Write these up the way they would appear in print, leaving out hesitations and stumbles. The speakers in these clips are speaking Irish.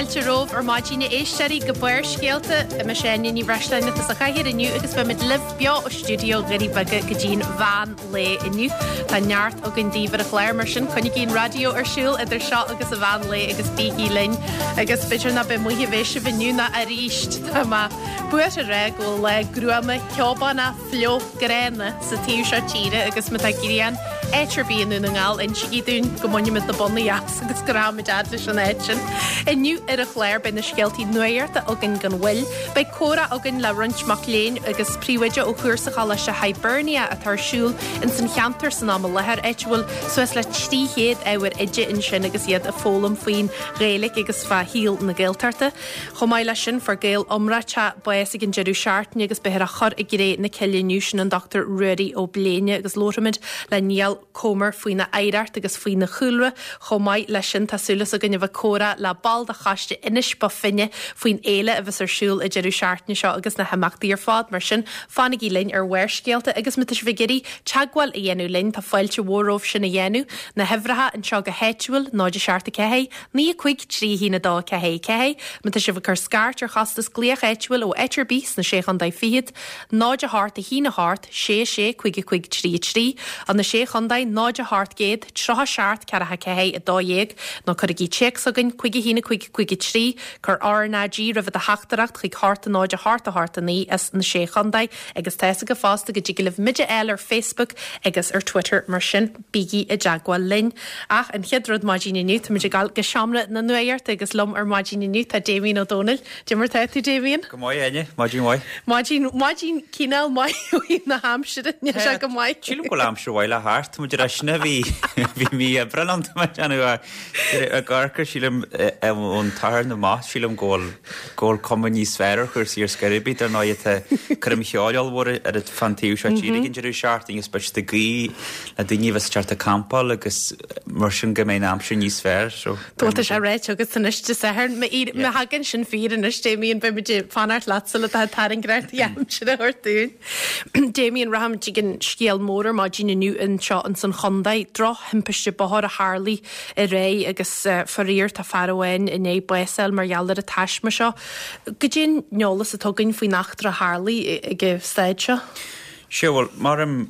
Fáilte romhaibh ar maidin a éisteoirí go Barrscéalta. Mise Áine Ní Bhreisleáin atá sa chathaoir inniu agus beimid libh beo ó stiúideo Dhoirí Beaga go dtí'n mheán lae inniu. Tá neart againn daoibh ar an chlár mar sin coinnígí an raidió ar siúl idir seo agus an mheán lae agus bígí linn. Agus b'fhéidir nach b'é amuigh a bheidh sibh inniu ná arís. Tá mé buartha a rá go bhfuil lá gruama ceobánach fliuch gránna sa taobh seo tíre agus má tá grian áit ar bith i nDún na nGall insigí dúinn go mbainfimid na bonnaí as agus go rachaimid fhad leis an áit sin. Inniu ar an chlár beidh na scéaltaí nuachta againn gan mhoill, beidh comhrá againn le roinnt mac léinn agus príomhoide ó chúrsa Choláiste Hibernia atá ar siúl ins an cheantar san am i láthair, áit a bhfuil suas le 300 ábhar oide ansin agus iad ag foghlaim faoin Ghaeilge agus fá shaol na Gaeltachta. Chomh maith leis sin, fuair Gael iomráiteach bás ag an deireadh seachtaine agus beifear á chur i gcré na cille inniu, sin an Dr Ruairí Ó Bléine agus labharfaimid le Niall Comer faoina oidhreacht agus faoina chúlra. Chomh maith leis sin, tá súil againn a bheith ag comhrá le ball de choiste Inis Bó Finne faoin fhéile a bheas ar siúl an deireadh seachtaine seo agus na himeachtaí ar fad. Mar sin, fanaigí linn ar Bharrscéalta agus má tá sibh ag iarraidh teagmháil a dhéanamh linn, tá fáilte mhór romhaibh sin a dhéanamh. Na huimhreacha anseo go háitiúil, 0 7 4, 9 5 3 1 2 4 4. Má tá sibh ag cur scairt ar chostas glaoch áitiúil ó áit ar bith sna Sé Chontae Fichead, 0 8 1 8 6 6 5 5 3 3, ó na Sé Chontae, 0 8 gcéad 37 4 4 12, nó cuirigí téacs chugainn, 5 1 5 5 3, cuir RnaG roimh do theachtaireacht chuig 8 0 8 8 9 as na Sé Chontae, agus tá fhios agaibh fosta go dtig libh muid a fháil ar Facebook agus ar Twitter mar sin. Bígí i dteagmháil linn. Ach an chéad rud maidin inniu, táimid ag dul go seomra na nuachta agus liom ar maidin inniu tá Damien Ó Dónaill. Cad é mar tá tú, Damien? Go maith, Áine. Maidin mhaith. Maidin, maidin cineál maith ó thaobh na haimsire, níl sé go maith. Sílim go bhfuil aimsir mhaith le theacht. Tá muid ar ais na bhí, bhí mí Aibreáin ann, tá mé ag déanamh ag amharc sílim ón tSatharn amach, sílim go bhfuil, go bhfuil cuma níos fearr ar chúrsaí ar scor ar bith. Dar ndóigh tá coirm cheoil ollmhór ar fán taobh seo tíre ag an deireadh seachtaine agus beidh siad ag guí le daoine a bheas ag teacht ag campáil agus mar sin go mbeidh an aimsir níos fearr. So, Bhuel tá sé ráite agat anois Dé Sathairn. Má thagann sin fíor anois Damien beidh muid ag fanacht leatsa le do thairngreacht aimsire a thabhairt dúinn. Damien, rachaimid chuig an scéal mór ar maidin inniu anseo ins an chontae. Drochthimpiste bóthair a tharlaigh aréir agus faraor tá fear amháin i ndiaidh bás a fháil mar gheall ar an taisme seo. Goidé an t-eolas atá againn faoin eachtra a tharlaigh ag an staid seo? Sea, bhuel, mar roimh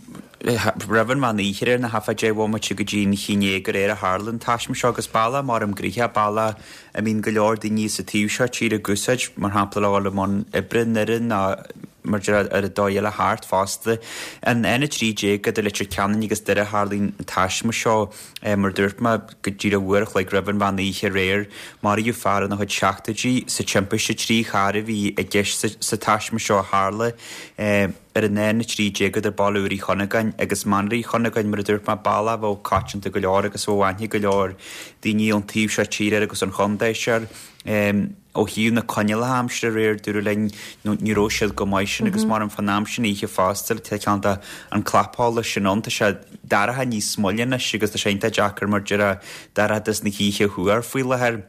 an mheán oíche aréir, ná thart fá 10 bhomaite go dtí an 11 aréir a tharla an taisme seo agus bealach maram gnoitheach, bealach a mbíonn go leor daoine sa taobh seo tíre ag úsáid, mar shampla le dhul i mbun oibre i nDoire nó mar deir ar an dóigh eile thart fosta. An N13 idir Leitir Ceanainn agus Doire a tharlaíonn an taisme seo. Mar a dúirt mé, go díreach uair a chloig roimh an mheán oíche aréir, maraíodh fear ina chuid seachtóidí sa timpiste. 3 charr a bhí i gceist sa taisme seo a tharla ar an N13 idir Baile Úr Uí Chunagáin agus Manaar Uí Chunagáin. Mar a dúirt mé, bealach a bheadh coitianta go leor agus a bheadh aithne go leor daoine ón taobh seo tíre air agus ón chontae seo air. Ó thaobh na coinníollacha aimsire aréir, dúradh linn, ní raibh siad go maith sin agus maram fán am sin oíche fosta, tá ceann de an clapsholas sin ann, tá sé dorcha níos moille anois agus tá sé iontach deacair mar déarfá dorchadas na hoíche a thuar faoi láthair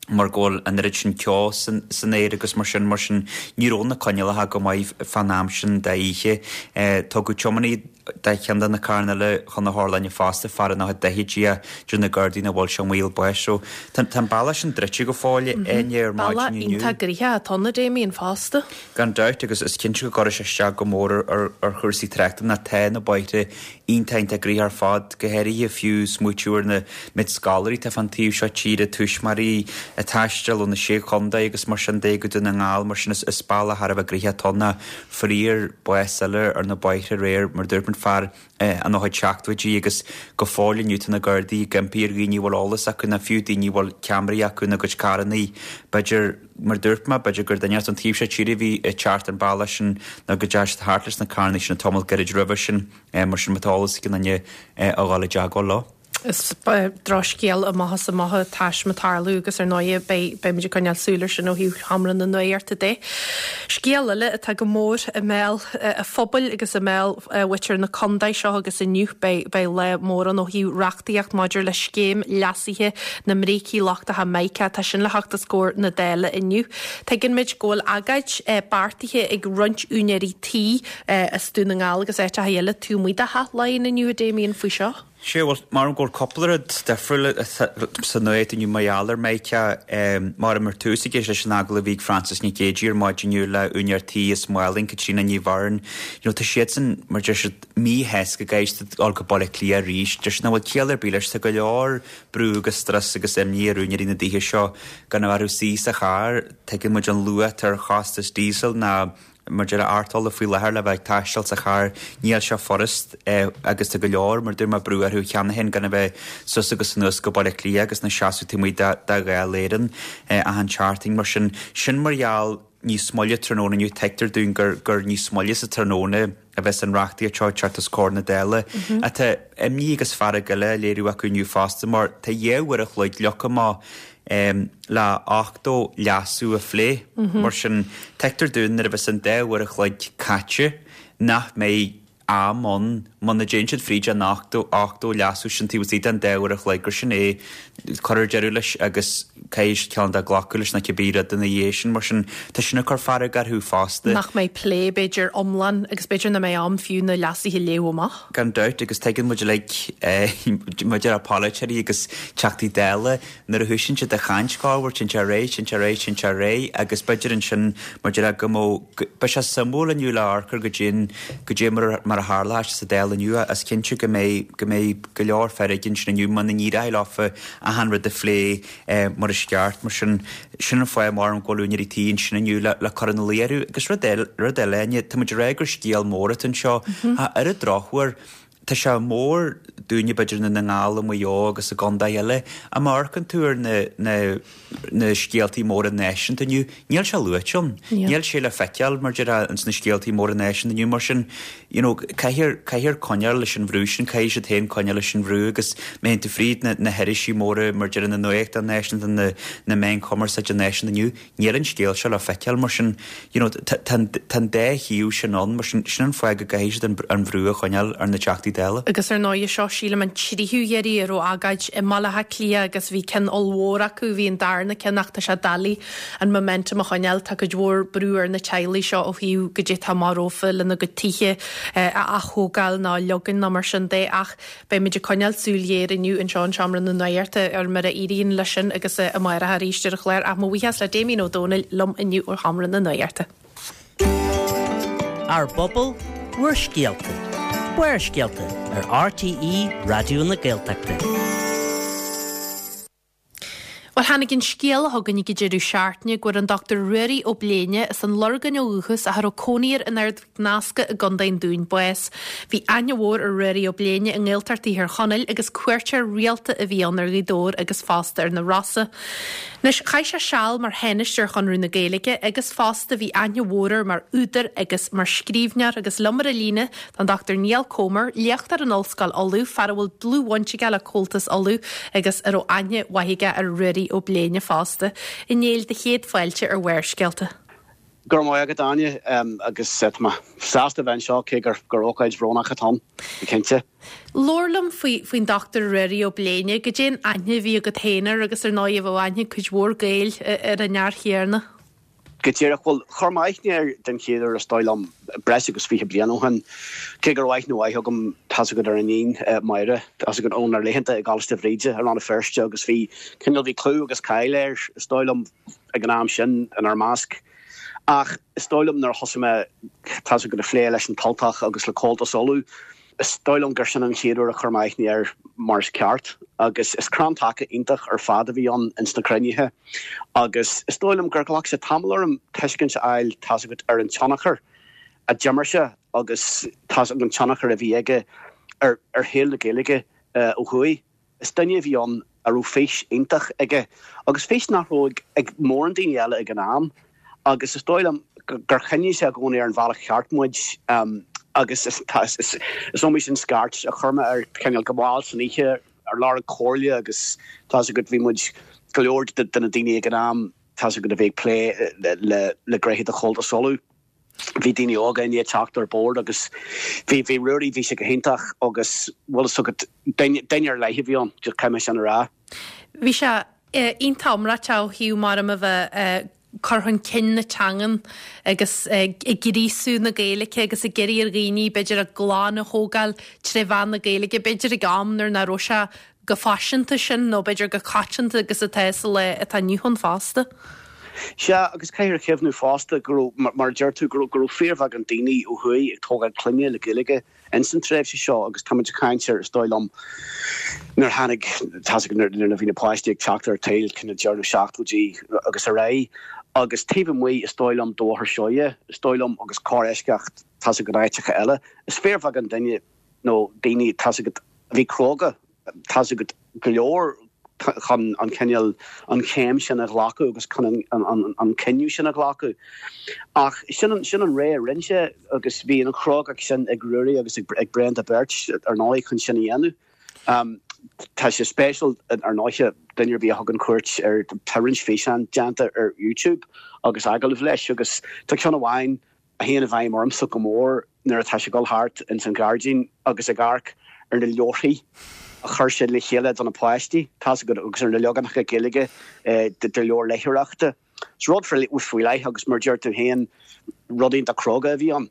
mar go bhfuil an oiread sin ceo san aer agus mar sin, mar sin ní raibh na coinníollacha go maith fán am sin d'oíche. Tugadh tiománaí de cheann de na carranna eile chun na hotharlainne fosta, fear ina chuid daichidí ach deir na Gardaí nach bhfuil sé i mbaol báis. So, tá an bealach sin druidte go fóill, Áine, ar Bealach maidin inniu. iontach gnoitheach atá ann, a Damien, fosta. Gan dabht, agus is cinnte go gcuirfidh sé isteach go mór ar chúrsaí tráchta ná tá na bóithre iontach iontach gnoitheach ar fad, go háirithe fiú smaoitiú ar na méid scoláirí atá fán taobh seo tíre, tuismitheoirí ag taisteal ó na Sé Chontae agus mar sin de go Dún na nGall, mar sin is bealach thar a bheith gnoitheach atá ann. Faraor, bás eile ar na bóithre aréir, mar dúirt muid, fear ina chuid seachtóidí agus go fóill inniu tá na Gardaí ag impí ar dhaoine a bhfuil eolas acu nó fiú daoine a bhfuil ceamaraí acu ina gcuid carrannaí, b'fhéidir, mar dúirt mé, b'fhéidir gur duine as an taobh seo tíre a bhí ag teacht an bealach sin nó go dteachaigh siad thart leis na carrannaí sin an tamall gairid roimhe sin, mar sin má tá eolas ag aon duine a dhul i dteagmháil leo. Is drochscéal amach is amach an taisme ag tarlú agus ar ndóigh beidh beimid ag coinneáil súil ar sin ó thaobh sheomra na nuachta de. Scéal eile atá go mór i mbéal an phobail agus i mbéal mhuintir na contae seo agus inniu beidh beidh lá mór ann ó thaobh reachtaíocht maidir le scéim leasaithe na mbrící lochtacha Mica. Tá sin le theacht os comhair na Dála inniu. Tuigeann muid go bhfuil agóid beartaithe ag roinnt úinéirí tí as Dún na nGall agus áiteacha eile taobh amuigh de Theach Laighean inniu a Damien faoi seo. Sea, bhuel, maram go bhfuil cúpla rud difriúil sa nuacht inniu mar gheall ar Micah. Maram ar tús ag éisteacht leis an agallamh a bhí ag Frances Nic Géadaigh ar maidin inniu le úinéir tí as Málainn, Caitríona Ní Bheirn. You know, tá siadsan, mar deir siad, míshásta go gcaithfidh siad dul go Baile Átha Cliath arís. Deir siad nach bhfuil ciall ar bith leis. Tá go leor brú agus strus agus imní ar úinéirí na dtithe seo gan a bheith orthu suí sa charr. Tuigeann muid an luach atá ar chostas diesel ná Mar deir ort ola faoi láthair le bheith ag taisteal sa charr, níl sé furast agus tá go leor, mar dúirt mé, brú orthu cheana féin gan a bheith suas agus anuas go Baile Átha Cliath agus ina seasamh taobh amuigh de Dháil Éireann achan tseachtain. Mar sin, sin mar gheall níos moille tráthnóna inniu, tuigtear dúinn gur gur níos moille sa tráthnóna a bheas an reachtaíocht seo ag teacht os comhair na Dála. Ach tá imní agus fearg eile á léiriú acu inniu fosta mar tá 2 uair a chloig leagtha amach le 80 leasú a phlé. Mar sin, tuigtear dúinn nuair a bheas an dá uair a chloig caite nach mbeidh am ann, muna dtéann siad fríd an 80, 80 leasú sin taobh istigh den dá uair a chloig, gur sin é, cuirfear deireadh leis agus caithfidh ceann de glacadh leis nó cibé rud ina dhiaidh sin. Mar sin, tá sin ag cur fearg orthu fosta. Nach mbeidh plé, b'fhéidir, iomlán agus b'fhéidir nach mbeidh am fiú na leasuithe a léamh amach. Gan dabht, agus tuigeann muid uilig, maidir le polaiteoirí agus Teachtaí Dála, nuair a thosaíonn siad ag caint, corruair, téann sé ar aghaidh, téann sé ar aghaidh, téann sé ar aghaidh, agus b'fhéidir ansin, mar a déarfá, go mbeadh, beidh sé suimiúil inniu le amharc ar goidé, goidé mar, mar a tharlóidh sé sa Dáil inniu, is cinnte go mbeidh, go mbeidh go leor feirge ansin inniu muna n-éireoidh leofa achan rud a phlé mar is ceart. Mar sin, sin an fáth, maram, go bhfuil úinéirí tí ansin inniu le, le cur ina luí orthu. Agus rud eile, rud eile, Áine, tá muid ag rá gur scéal mór atá anseo, ach ar an drochuair, tá sé mór dúinne b'fhéidir i nDún na nGall, i Maigh Eo agus i gcontaetha eile, ach má amharcann tú ar na, na, na scéaltaí móra náisiúnta inniu, níl sé luaite ann. Níl sé le feiceáil, mar déarfá, ins na scéaltaí móra náisiúnta inniu. Mar sin, you know, caithfear, caithfear coinneáil leis an bhrú sin, caithfidh siad féin coinneáil leis an bhrú agus má théann tú fríd na, na hirisí móra, mar déarfá, na nuachtáin náisiúnta, na, na meáin chumarsáide náisiúnta inniu, Níl an scéal seo le feiceáil mar sin, you know, tá an dá thaobh sin ann, mar sin, sin an fáth go gcaithfidh siad an bhrú a choinneáil ar na Teachtaí Dála. Agus ar ndóigh seo, sílim, an tríú iarraidh a raibh agóid i mBaile Átha Cliath agus bhí ceann ollmhór acu, bhí an darna ceann ach tá sé doiligh an momentum a choinneáil, tá cuid mhór brú ar na teaghlaigh seo ó thaobh goidé atá amach rompu lena gcuid tithe a ath-thógáil nó a leagan nó mar sin de ach Beimid ag coinneáil súil ghéar inniu anseo in Seomra na Nuachta ar mar a éiríonn leis sin agus amárach arís ar an chlár. Ach mo bhuíochas le Damien Ó Dónaill liom inniu ó Sheomra na Nuachta. Ár bpobal, bhur scéalta. Barrscéalta ar RTÉ Raidió na Gaeltachta. Bhuel, tháinig an scéala chugainn ag an deireadh seachtaine go bhfuair an Dr Ruairí Ó Bléine, as an Lorgain ó dhúchas ach a raibh cónaí air in Ard Mhic Nasca i gContae an Dúin, bás. Bhí aithne mhór ar Ruairí Ó Bléine i nGaeltacht Thír Chonaill agus cuairteoir rialta a bhí ann ar Ghaoth Dobhair agus fosta ar na Rosa. Anois, chaith sé seal mar Thánaiste ar Chonradh na Gaeilge agus fosta bhí aithne mhór air mar údar agus mar scríbhneoir agus liom ar an líne Tá an Dr Niall Comer, léachtóir in Ollscoil Uladh, fear a bhfuil dlúthbhaint aige le Comhaltas Uladh agus a raibh aithne mhaith aige ar Ruairí Ó Bléine fosta. A Néill, do chéad fáilte ar Bharrscéalta. Go raibh maith agat, Áine, agus tá mé sásta a bheith anseo, cé gur ócáid bhrónach atá ann, go cinnte. Labhair liom faoin Dr Ruairí Ó Bléine, goidé an aithne a bhí agat féin air agus ar ndóigh a bheadh aithne ag cuid mhór Gaeil ar an fhear chéanna. Go díreach, bhuel, chuir mé aithne air den chéad uair, is dóigh liom, breis agus 20 bliain ó shin. Cé go raibh aithne mhaith agam, tá's agat, ar a iníon, Máire, tá's agat, ónár laethanta i gColáiste Bhríde i Rann na Feirste agus bhí, cineál, bhí clú agus cáil air, is dóigh liom, ag an am sin, inár measc. Ach is dóigh liom nuair a thosaigh mé, tá's agat, ag plé leis an tUltach agus le Comhaltas Uladh, Is dóigh liom gur sin an chéad uair a chuir mé aithne air mar is ceart agus is crann taca iontach ar fad a bhí ann ins na cruinnithe agus is dóigh liom gur ghlac sé tamall orm tuiscint a fháil, tá's agat, ar an tionchar a d'imir sé agus tá's agat an tionchar a bhí aige ar shaol na Gaeilge ó thuaidh. Is duine a bhí ann a raibh fís iontach aige agus fís nach raibh ag mórán daoine eile ag an am agus is dóigh liom gur choinnigh sé i gcónaí ar an bhealach cheart muid agus is iomaí sin scairt a chuir mé air cineál go mall san oíche ar lorg comhairle agus tá's agat bhí muid go leor de na daoine ag an am tá's agat a bhí ag plé le gnéithe de Chomhaltas Uladh. Bhí daoine óga i ndiaidh teacht ar bord agus bhí, bhí Ruairí, bhí sé go hiontach agus bhfuil fhios agat, duine, duine ar leith a bhí ann, just caithfidh mé sin a rá. Bhí sé iontach iomráiteach ó thaobh mar a bheith. cur chun cinn na teangan agus ag gríosú na Gaeilge agus ag iarraidh ar dhaoine b'fhéidir a gclann a thógáil tré mheán na Gaeilge, b'fhéidir ag am nuair nach raibh sé chomh faiseanta sin nó b'fhéidir chomh coitianta agus atá sa lá atá inniu ann fosta. Sea, agus caithfear a chuimhniú fosta go raibh, mar a deir tú, go raibh, go raibh fíorbheagán daoine ó thuaidh ag tógáil clainne le Gaeilge ins an tréimhse seo agus táimid ag caint ar, is dóigh liom, nuair a tháinig, tá's agat, nuair a bhí na páistí ag teacht ar an tsaol, cineál deireadh na seachtóidí agus ar aghaidh. Agus taobh amuigh, is dóigh liom, de Bhóthar Seoighe, is dóigh liom, agus corr-eisceacht, tá's agat, áiteacha eile, is fíorbheagán duine nó daoine, tá's agat, a bhí cróga, tá's agat, go leor chun an cineál, an chéim sin a ghlacadh agus chun an cinneadh sin a ghlacadh. Ach sin an, sin an ré a rinne sé agus bhí an chrógacht sin ag Ruairí agus ag Brenda beirt, ar ndóigh, chun sin a dhéanamh. Tá sé spéisiúil, ar ndóighe, duine ar bith a thugann cuairt ar, tá roinnt físeán déanta ar YouTube agus agallaimh leis agus tá ceann amháin, a théann i bhfeidhm ormsa go mór nuair atá sé ag dul thart ins an ghairdín agus ag amharc ar na leabharthaí a chuir sé le chéile do na páistí, tá's agat, agus ar na leaganacha Gaeilge de leabhair léitheoireachta. Is rud faoi leith agus mar a deir tú féin, rud iontach cróga a bhí ann.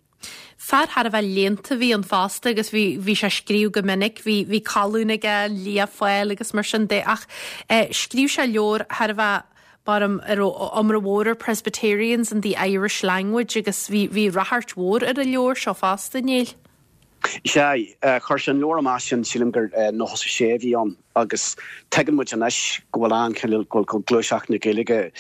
Fear thar a bheith léannta a bhí ann fosta agus bhí bhí sé ag scríobh go minic, bhí bhí colún aige, Lia Fáil agus mar sin de ach scríobh sé leabhar thar a bheith Maram, a raibh iomrá mhór air Presbyterians and the Irish Language agus bhí, bhí ráchairt mhór ar an leabhar seo fosta, a Néill. Sea, chuir sé an leabhar amach sin, sílim gur 96 a bhí ann agus tuigeann muid anois go bhfuil an cineál, go bhfuil gluaiseacht na Gaeilge,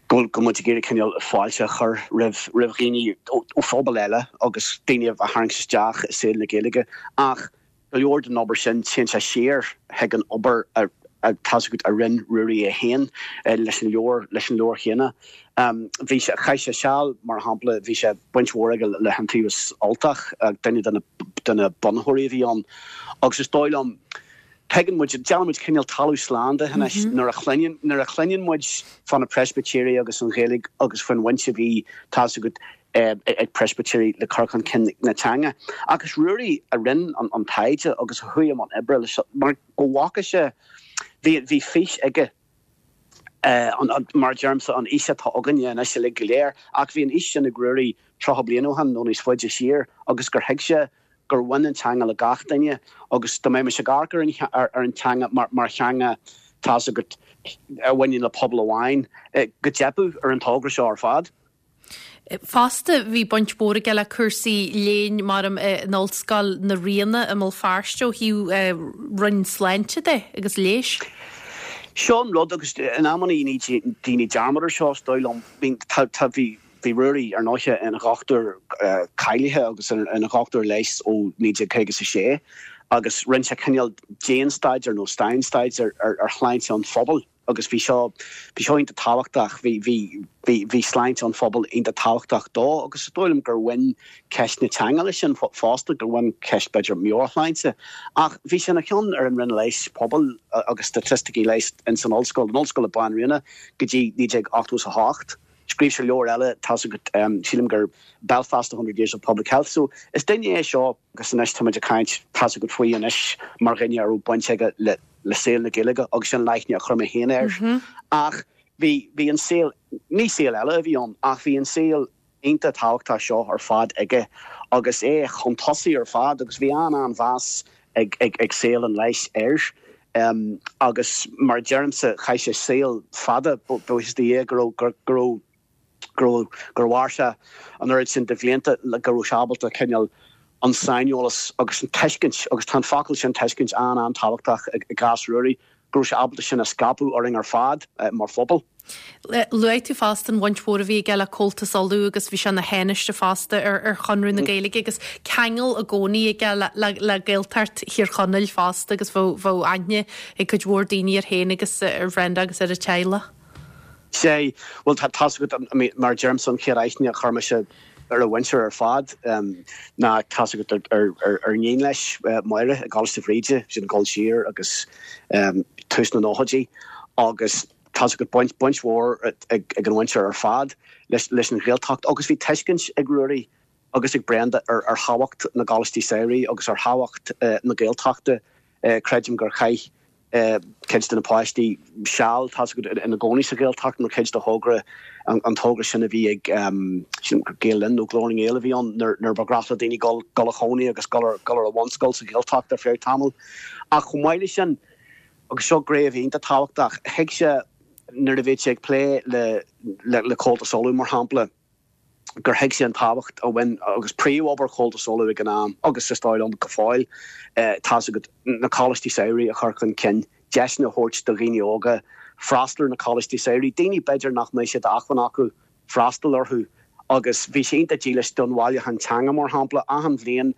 go bhfuil, go bhfuil muid ag iarraidh cineál fáilte a chur roimh, roimh dhaoine ó phobail eile agus daoine a tharraingt isteach i saol na Gaeilge ach Go leor den obair sin, téann sé siar chuig an obair a, tá's agat, a rinne Ruairí é féin leis an leabhar, leis an leabhar chéanna. Bhí sé, chaith sé seal, mar shampla, bhí sé, baint mhór aige le hIontaobhas Ultach, duine de na, de na bunaitheoirí a bhí ann. Agus is dóigh liom, tuigeann muid, déanann muid cineál talamh slán de anois nuair a chluineann, nuair a chluineann muid fá na Preispitéirigh agus an Ghaeilge agus faoin bhaint a bhí, tá's agat, ag Preispitéirigh le cur chun cinn na teanga. Ach is Ruairí a rinne an taighde agus a chuaigh i mbun oibre leis mar go bhfaca sé, bhí bhí fís aige, mar a deirimse, an fhís atá againne anois uilig go léir, ach bhí an fhís sin ag Ruairí 30 bliain ó shin nó níos faide siar agus gur thuig sé gur bhain an teanga le gach duine agus dá mbeimis ag amharc ar an teanga mar theanga, tá's agat, a bhaineann le pobal amháin, go dteipfeadh ar an togra seo ar fad. Fosta, bhí baint mhór aige le cúrsaí léinn, maram, in Ollscoil na Ríona i mBéal Feirste ó thaobh Roinn Sláinte de agus Leighis. Seo an rud, agus in amannaí ní daoine dearmad ar seo, is dóigh liom, bhí, tá, tá, bhí, bhí Ruairí, ar ndóiche, ina dhochtúir cáilithe agus ina dhochtúir leighis ó 1956 agus rinne sé cineál dianstaidéar nó stainstaidéar ar shláinte an phobail. agus bhí seo, bhí seo iontach tábhachtach, bhí, bhí, bhí, bhí sláinte an phobail iontach tábhachtach dó agus is dóigh liom gur bhain ceist na teanga leis sin fosta, gur bhain ceist b'fhéidir meabhairshláinte. Ach bhí sé ina cheann ar an Roinn Leighis Pobail agus Staitisticí Leighis ins an ollscoil, in Ollscoil na Banríona go dtí 1988. Scríobh sé leabhar eile, tá's agat, sílim gur Belfast, A Hundred Years of Public Health. So is duine é seo agus anois táimid ag caint, tá's agat, faoi anois mar dhuine a raibh baint aige le, le saol na Gaeilge agus sin an aithne a chuir mé féin air. Ach bhí, bhí an saol, ní saol eile a bhí ann, ach bhí an saol iontach tábhachtach seo ar fad aige agus é chun tosaigh ar fad agus bhí an-an-mheas ag, ag, ag saol an leighis air. Agus mar a deirimse, chaith sé saol fada, buíochas do Dhia go raibh, go raibh, go raibh, gur mhair sé an oiread sin de bhlianta le go raibh sé ábalta cineál an saineolas agus an tuiscint, agus tá an focal sin tuiscint an-an-tábhachtach i gcás Ruairí, go raibh sé ábalta sin a scaipeadh orainn ar fad mar phobal. Luaigh tú fosta an bhaint mhór a bhí aige le Comhaltas Uladh agus bhí sé ina thánaiste fosta ar Chonradh na Gaeilge agus ceangal i gcónaí aige le Gaeltacht Thír Chonaill fosta agus bheadh aithne ag cuid mhór daoine air féin agus ar Bhrenda agus ar a teaghlach. Sea, bhuel tá tá's agat, mar a deirimse, an chéad aithne a chuir mise ar a mhuintir ar fad ná tá's agat ar iníon leis, Máire, i gColáiste Bhríde, sin ag dul siar agus tús na nóchaidí agus tá's agat baint, baint mhór ag an mhuintir ar fad leis, leis an Ghaeltacht agus bhí tuiscint ag Ruairí agus ag Brenda ar, ar thábhacht na gcoláistí samhraidh agus ar thábhacht na Gaeltachta. Creidim gur chaith. Cuid de na páistí seal, tá's agat, ina gcónaí sa Ghaeltacht mar chuid de thogra, an togra sin a bhí ag, sílim gur Gael Linn nó Glór na nGael a bhí ann, nuair ba ghnách le daoine dul a chónaí agus dul ar dul ar an bhunscoil sa Ghaeltacht ar feadh tamaill. Ach chomh maith leis sin, agus seo gné a bhí iontach tábhachtach, thuig sé nuair a bhíodh sé ag plé le le Comhaltas Uladh, mar shampla, gur thuig sé an tábhacht a bhain agus príomhobair Chomhaltas Uladh ag an am, agus is dóigh liom go fóill, tá's agat, na coláistí samhraidh a chur chun cinn, deiseanna a thabhairt do dhaoine óga freastal ar na coláistí samhraidh, daoine b'fhéidir nach mbeadh sé d'acmhainn acu freastal orthu. Agus bhí sé iontach dílis don bhailiúchán teanga, mar shampla. Achan bhliain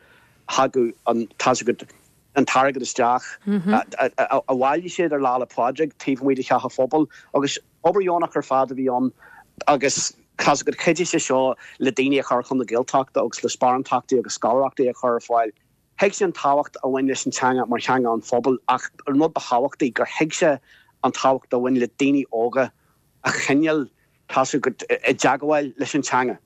thagadh an, tá's agat, an t-airgead isteach a bhailigh siad ar Lá 'le Pádraig taobh amuigh de Theach an Phobail agus, Obair dheonach ar fad a bhí ann agus tá's agat chuidigh sé seo le daoine a chur chun na Gaeltachta agus le sparántachtaí agus scoláireachtaí a chur ar fáil. Thuig sé an tábhacht a bhain leis an teanga mar theanga an phobail ach an rud ba thábhachtaí gur thuig sé an tábhacht a bhain le daoine óga a choinneáil, tá's agat, i dteagmháil leis an teanga.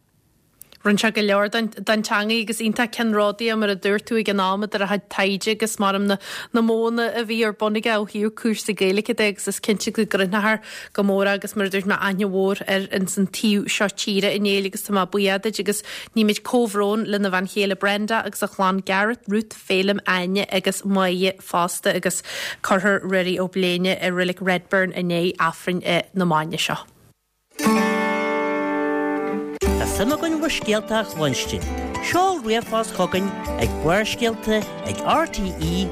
Rinne sé go leor don teangaidh agus iontach ceannródaíoch mar a dúirt tú ag an am idir a chuid taighde agus maram na na modhanna a bhí ar bun aige ó thaobh cúrsaí Gaeilge de agus is cinnte go gcuimhneofar go mór agus mar a dúirt mé aithne mhór air ins an taobh seo tíre a Néill agus tá mé buíoch duit agus nímid comhbhrón lena bhean chéile Brenda agus a chlann Gareth, Ruth, Féilim, Áine agus Máire fosta agus cuirfear Ruairí Ó Bléine i Reilig Redburn i ndiaidh Aifreann na maidne seo. Tá suim againn bhur scéalta a chluinstin. Seol ríomhphost chugainn ag Barrscéalta ag rte.ie.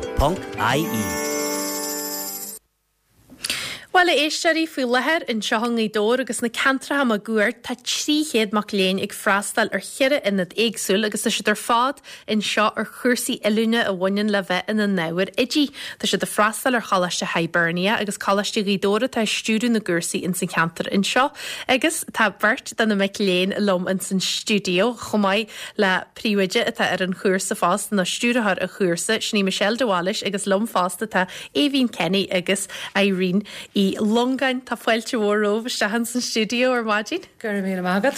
Bhuel, a éisteoirí, faoi láthair anseo i nGaoth Dobhair agus na ceantracha máguaird tá 300 mac léinn ag freastal ar cheithre ionad éagsúil agus tá siad ar fad anseo ar chúrsaí oiliúna a bhaineann le bheith ina n-ábhair oidí. Tá siad ag freastal ar Choláiste Hibernia agus Coláiste Ghaoth Dobhair atá ag stiúradh na gcúrsaí ins an cheantar anseo agus tá beirt de na mic léinn liom ins an stiúideo chomh maith le príomhoide atá ar an chúrsa fosta nó stiúrthóir an chúrsa, sin í Michelle de Bhailís agus liom fosta tá Aoibhín Kenny agus Irene Uí Longáin. Tá fáilte mhór romhaibh isteach ins an stiúideo ar maidin. Go raibh míle maith agat.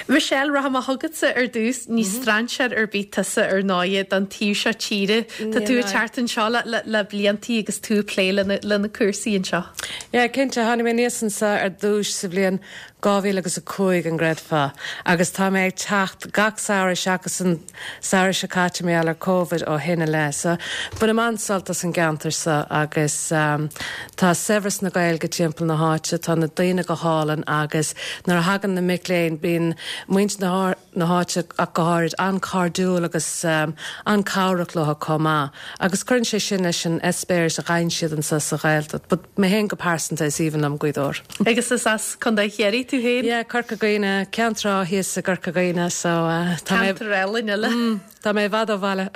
Michelle, rachaidh mé chugatsa ar dtús. Ní strainséir ar bith tusa ar ndóighe don taobh seo tíre. Tá tú ag teacht anseo le bliantaí agus tú ag plé le na cúrsaí anseo. Yeah, cinnte. Tháinig mé aníos anseo ar dtús sa bhliain 2000 agus 5, an gcreidfeá? Agus tá mé ag teacht gach samhradh seachas an samhradh seo caite mar gheall ar Covid ó shin i leith. So, bainim an-sult as an gceantar seo agus tá saibhreas na Gaeilge timpeall na háite, tá na daoine go hálainn agus nuair a thagann na mic léinn bíonn muintir na na háite ach go háirid, an-chairdiúil agus an-chabhrach leo chomh maith agus cuireann sé sin leis an eispéireas a fhaigheann siad anseo sa Ghaeltacht. But mé féin go pearsanta is aoibhinn liom Gaoth Dobhair. Agus is as Contae Chiarraí tú féin? Yeah, Corca Dhuibhne, Ceann Trá thíos i gCorca Dhuibhne so tá mé. Ceantar álainn eile. Mm, tá mé i bhfad ó bhaile.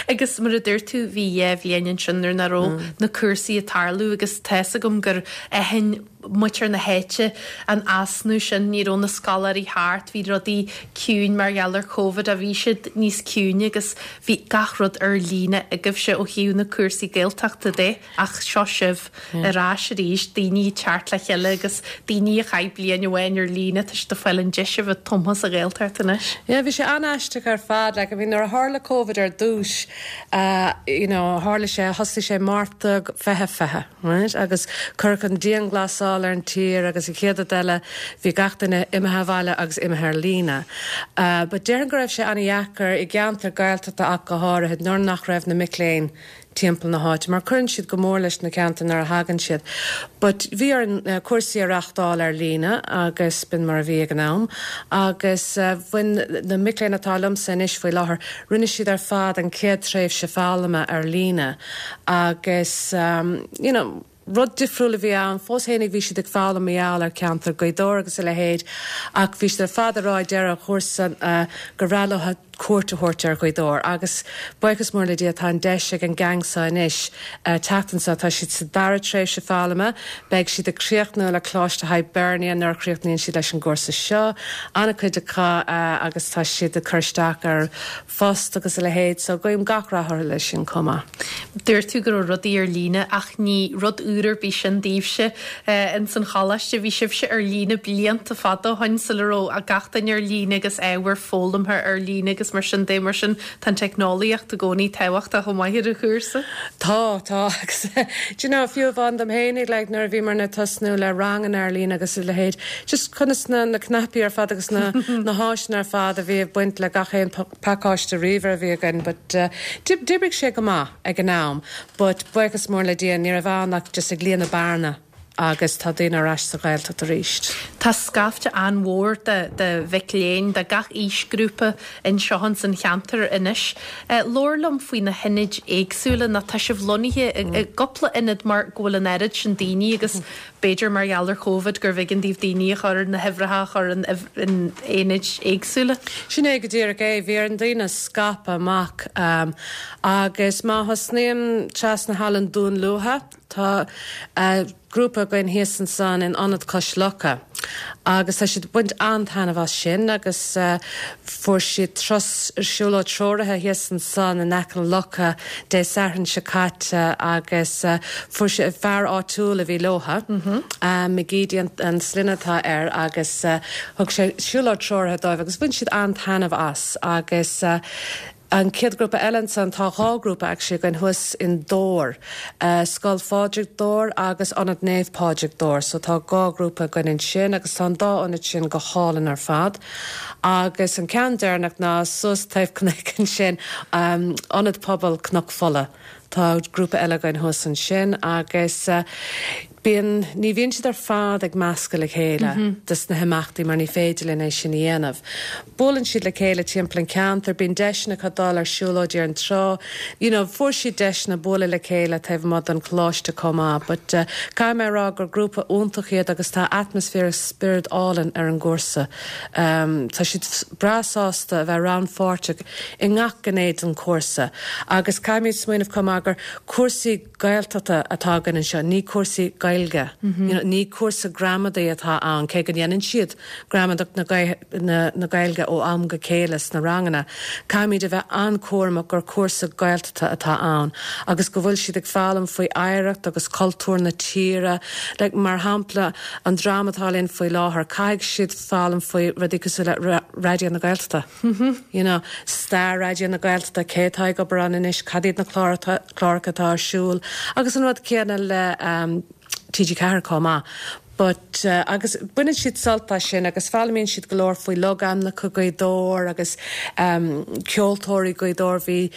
Agus mar a dúirt tú, bhí dhá bhliain ansin nuair nach raibh na cúrsaí ag tarlú agus tá fhios agam gur aithin muintir na háite an easnamh sin, ní raibh na scoláirí thart, bhí rudaí ciúin mar gheall ar Covid, a bhí siad níos ciúine agus bhí gach rud ar líne agaibhse ó thaobh na cúrsaí Gaeltachta de. Ach seo sibh ar ais arís, daoine ag teacht le chéile agus daoine a chaith bliain amháin ar líne, tá siad ag fáil an deis a bheith tumtha sa Ghaeltacht anois. Yeah, bhí sé an-aisteach ar fad, like, I mean nuair a tharla Covid ar dtús, you know, tharla sé, thosaigh sé Márta 2020, right, agus cuireadh an dianghlasáil ar an tír agus an chéad rud eile bhí gach duine imithe abhaile agus imithe ar líne. But déarfainn go raibh sé an-dheacair i gceantar Gaeltachta ach go háirithe nuair nach raibh na mic léinn timpeall na háite mar cuireann siad go mór leis na ceantair nuair a thagann siad. But bhí orainn cúrsaí a reachtáil ar líne agus b'in mar a bhí ag an am agus bhain na mic léinn atá liomsa anois faoi láthair, rinne siad ar fad an chéad tréimhse foghlama ar líne agus you know, rud difriúil a bhí ann. Fós fhéinig bhí siad ag foghlaim mar gheall ar cheantar Ghaoth Dobhair agus a leithéid ach bhí siad ar fad ag rá ag deireadh an chúrsa gur bhreá leo cuairt a thabhairt ar Ghaoth Dobhair agus buíochas mór le Dia tá an deis ag an gang seo anois teacht anseo. Tá siad sa dara tréimhse foghlama, beidh siad ag críochnú le Coláiste Hibernia nuair a chríochnaíonn siad leis an gcúrsa seo, an-chuid acu agus tá siad ag cur isteach ar phost agus a leithéid so guím gach rath orthu leis sin chomh maith. Dúirt tú go raibh rudaí ar líne ach ní rud úr ar bith sin daoibhse ins an choláiste. Bhí sibhse ar líne blianta fada ó shoin sula raibh gach duine ar líne agus ábhar foghlamtha ar líne agus mar sin de. Mar sin tá an teicneolaíocht i gcónaí tábhachtach chomh maith ar an chúrsa. Tá, tá agus do you know fiú amháin dom fhéinig like nuair a bhíomarna ag tosnú le ranganna ar líne agus a leithéid just conas na na cnaipí ar fad agus na na háiseanna ar fad a bhí ag baint le gach aon pacáiste ríomhaire a bhí againn but d'oibrigh sé go maith ag an am but buíochas mór le Dia ní raibh ann ach just ag líonadh bearna agus tá daoine ar ais sa Ghaeltacht arís. Tá scaifte an-mhór de de mhic léinn de gach aoisghrúpa anseo ins an cheantar anois. Labhair liom faoi na hionaid éagsúla nó tá sibh lonnaithe i gcúpla ionad mar go bhfuil an oiread sin daoine agus B'fhéidir mar gheall ar Chóvid gurbh éigean daoibh daoine a chur, na huimhreacha a chur in aonaid éagsúla. Sin é go díreach é. Bhí ar na daoine scaipeadh amach agus má thosnaím trasna thall i nDún Lúiche, tá grúpa againn thíos ansan in Ionad Cois Locha agus tá siad ag baint an-taitneamh as sin agus fuair siad turas, siúlóid treoraithe thíos ansan in aice na locha Dé Sathairn seo caite agus fuair siad, fear áitiúil a bhí leotha, McGeady an sloinne atá air agus thug sé siúlóid treoraithe dóibh agus bhain siad an-taitneamh as agus An chéad ghrúpa eile ansan, tá dhá ghrúpa actually againn thuas in Dobhar, Scoil Phádraig Dobhar agus Ionad Naomh Pádraig Dobhar. So tá dhá ghrúpa againn ansin agus tá an dá ionad sin go hálainn ar fad. Agus an ceann deireanach ná suas taobh cnoic ansin, Ionad Pobail Cnoc Fola. Tá grúpa eile againn thuas ansin agus bíonn, ní bhíonn siad ar fad ag meascadh le chéile dos na himeachtaí mar ní féidir linn é sin a dhéanamh. Buaileann siad le chéile timpeall an cheantair, bíonn deiseanna acu dul ar siúlóidí ar an trá, you know fuair siad deiseanna bualadh le chéile taobh amuigh den choláiste chomh maith. But caithfidh mé a rá gur grúpa iontach iad agus tá atmaisféar agus spiorad álainn ar an gcúrsa. Tá siad breá sásta a bheith rannpháirteach i ngach gné den chúrsa agus caithfimid smaoineamh chomh maith gur cúrsaí Gaeltachta atá againn anseo, ní cúrsaí Gaeilge. You know, ní cúrsa gramadaí atá ann, cé go ndéanann siad gramadach na na Gaeilge ó am go chéile sna ranganna. Caithfimid a bheith an-chúramach gur cúrsa Gaeltachta atá ann agus go bhfuil siad ag foghlaim faoi oidhreacht agus cultúr na tíre. Like, mar shampla, an dream atá linn faoi láthair, caithfidh siad foghlaim faoi rudaí cosúil le Raidió na Gaeltachta, you know, stair Raidió na Gaeltachta, cé atá ag obair ann anois, cad iad na cláracha atá ar siúl agus an rud céanna le TG4 chomh maith. But, agus baineann siad sult as sin agus foghlaimíonn siad go leor faoi logainmneacha Ghaoth Dobhair agus ceoltóirí Ghaoth Dobhair. Bhí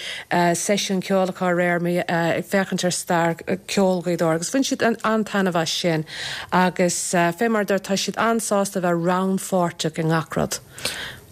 seisiún ceoil acu aréir ag féachaint ar stair ceoil Ghaoth Dobhair agus bhain siad an-taitneamh as sin. Agus fé mar a dúirt, tá siad an-sásta a bheith rannpháirteach i ngach rud.